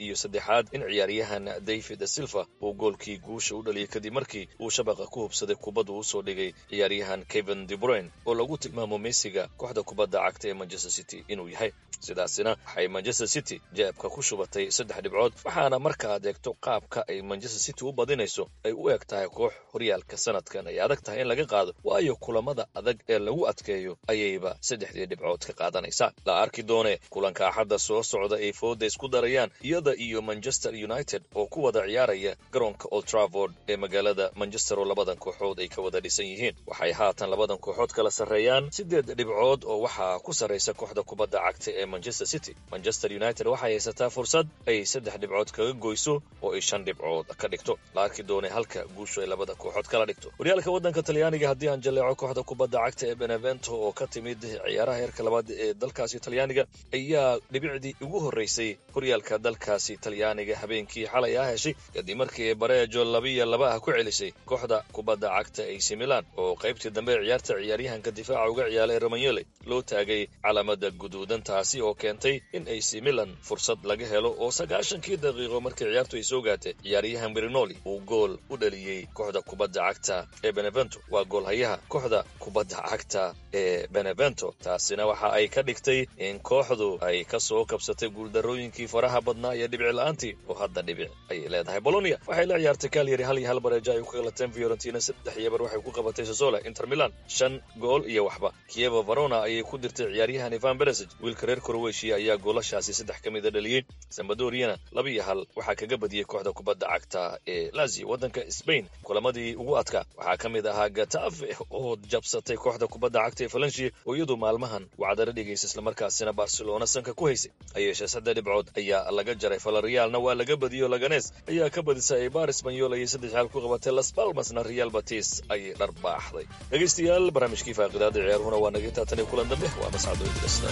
83aad in ciyaaryahan David Silva uu goolkii guusha u dhaliyay kadib markii uu shabaqa ku hubsaday kubad uu usoo dhigay ciyaaryahan Kevin De Bruyne oo lagu tilmaamo Messiga kooxda kubadda cagta ee Manchester City inuu yahay. Sidaasina waxay Manchester City jeebka ku shubatay 3 dhibcood, waxaana markaad eegto qaabka ay Manchester City u badinayso ay u eg tahay koox horyaalka sanadkan ay adag tahay in laga qaado, waayo kulamada adag ee lagu adkeeyo ayayba 3dii dhibcood ka qaadanaysaa. La arki doone kulanka Axadda soo socda ay fooda isku darayaan iyada iyo Manchester United oo ku wada ciyaaraya garoonka Old Trafford ee magaalada Manchester oo labadan kooxood ay ka wada dhisan yihiin. Waxay haatan labadan kooxood kala sarreeyaan 8 dhibcood oo waxaa ku sarraysa kooxda kubadda cagta ee Manchester City. Manchester United waxay haysataa fursad ay 3 dhibcood kaga goyso oo ay 5 dhibcood ka dhigto. La arki doonay halka guushu ay labada kooxood kala dhigto. Horyaalka waddanka Talyaaniga haddii aan jaleeco, kooxda kubadda cagta ee Benevento oo ka timid ciyaaraha heerka labaad ee dalkaasi Talyaaniga ayaa dhibicdii ugu horreysay horyaalka dalkaasi Talyaaniga habeenkii xalay ah heshay kadib markii ay bareejo 2-2 ah ku celisay kooxda kubadda cagta AC Milan, oo qaybtii dambe ciyaarta ciyaaryahanka difaaca uga ciyaaray Romagnoli loo taagay calaamada guduudan, taasi oo keentay in AC Milan fursad laga helo oo 90kii daqiiqo markii ciyaartu ay soo gaatay ciyaaryahan Bernoli uu gool u dhaliyey kooxda kubadda cagta ee Benevento. Waa goolhayaha kooxda kubadda cagta ee Benevento, taasina waxa ay ka dhigtay in kooxdu ay ka soo kabsatay guuldarrooyinkii faraha badnaa iyo dhibic la'aantii, oo hadda dhibic ayay leedahay. Bologna waxay la ciyaartay Cagliari 1-1 bareejo ay ku galateen. Fiorentina 3-0 waxay ku qabatay Sassuolo. Inter Milan 5 gool iyo waxba Chievo Verona ayay ku dirtay ciyaaryahan Ivan Perisic, wiilka reer Croatia ayaa goolashaasi 3 ka mida dhaliyey. Sampdoriana 2-1 waxaa kaga badiyey kooxda kubadda cagta ee Lazio. Waddanka Spain kulamadii ugu adkaa waxaa ka mid ahaa Getafe oo jabsatay kooxda kubadda cagta ee Valencia oo iyadu maalmahan wacdara dhigaysa islamarkaasina Barcelona sanka ku haysay. Hayeeshee 3 dhibcood ayaa laga jaray. Villarrealna waa laga badiyo, Laganes ayaa ka badisay. Eibar Espanyol ayay 3-1 ku qabatay. Las Palmasna Real Betis ayay dharbaaxday. Dhegaystayaal, barnaamijkii faaqidaada ciyaaruhuna waa naga taatan iyo kulan dambe. Waa Mascado Idrista.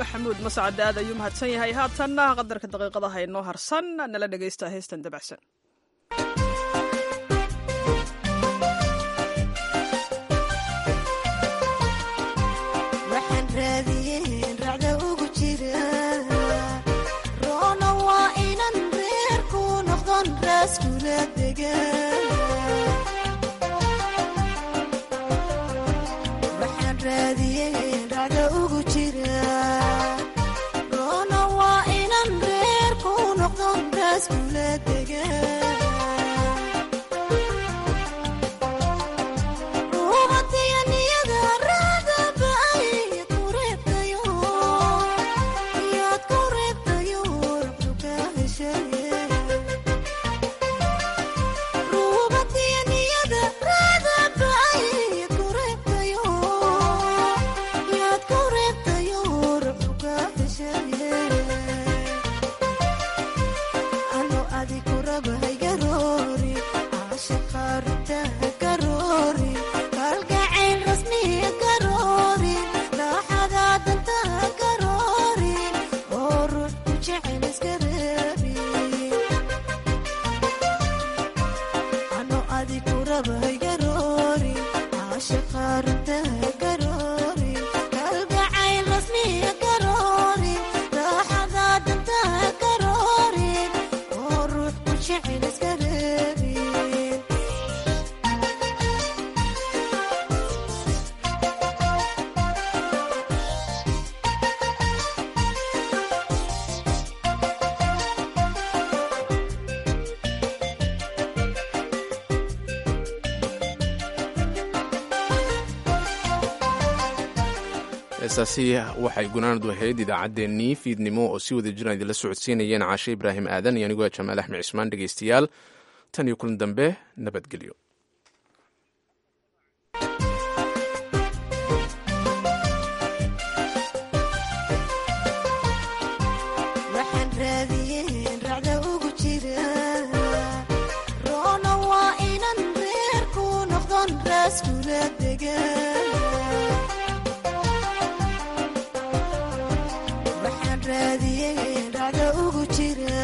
Maxamuud Mascad aad ayuu mahadsan yahay. Haatanna qadarka daqiiqadaha inoo harsan nala dhegaysta heestan dabacsan. Waxaan raadiyeen racda ugu jira roona waa inan reer ku noqdon raaskula degan. Waxaan raadiyeen racda ugu jira roona waa inan reer ku noqdon raaskula degan. Heestaasi waxay gunaanadu ahayd idaacaddeenii fiidnimo oo si wada jiraan idinla socodsiinayeen Caashe Ibraahim Aadan iyo anigoo Jamaal Axmed Cismaan. Dhegeystayaal, tan iyo kulan dambe, nabadgelyo. Waxaan raadiyeen racda ugu jira roona waa inan reer ku noqdon raaskula degan. Waxaan raadiyeen racda ugu jira.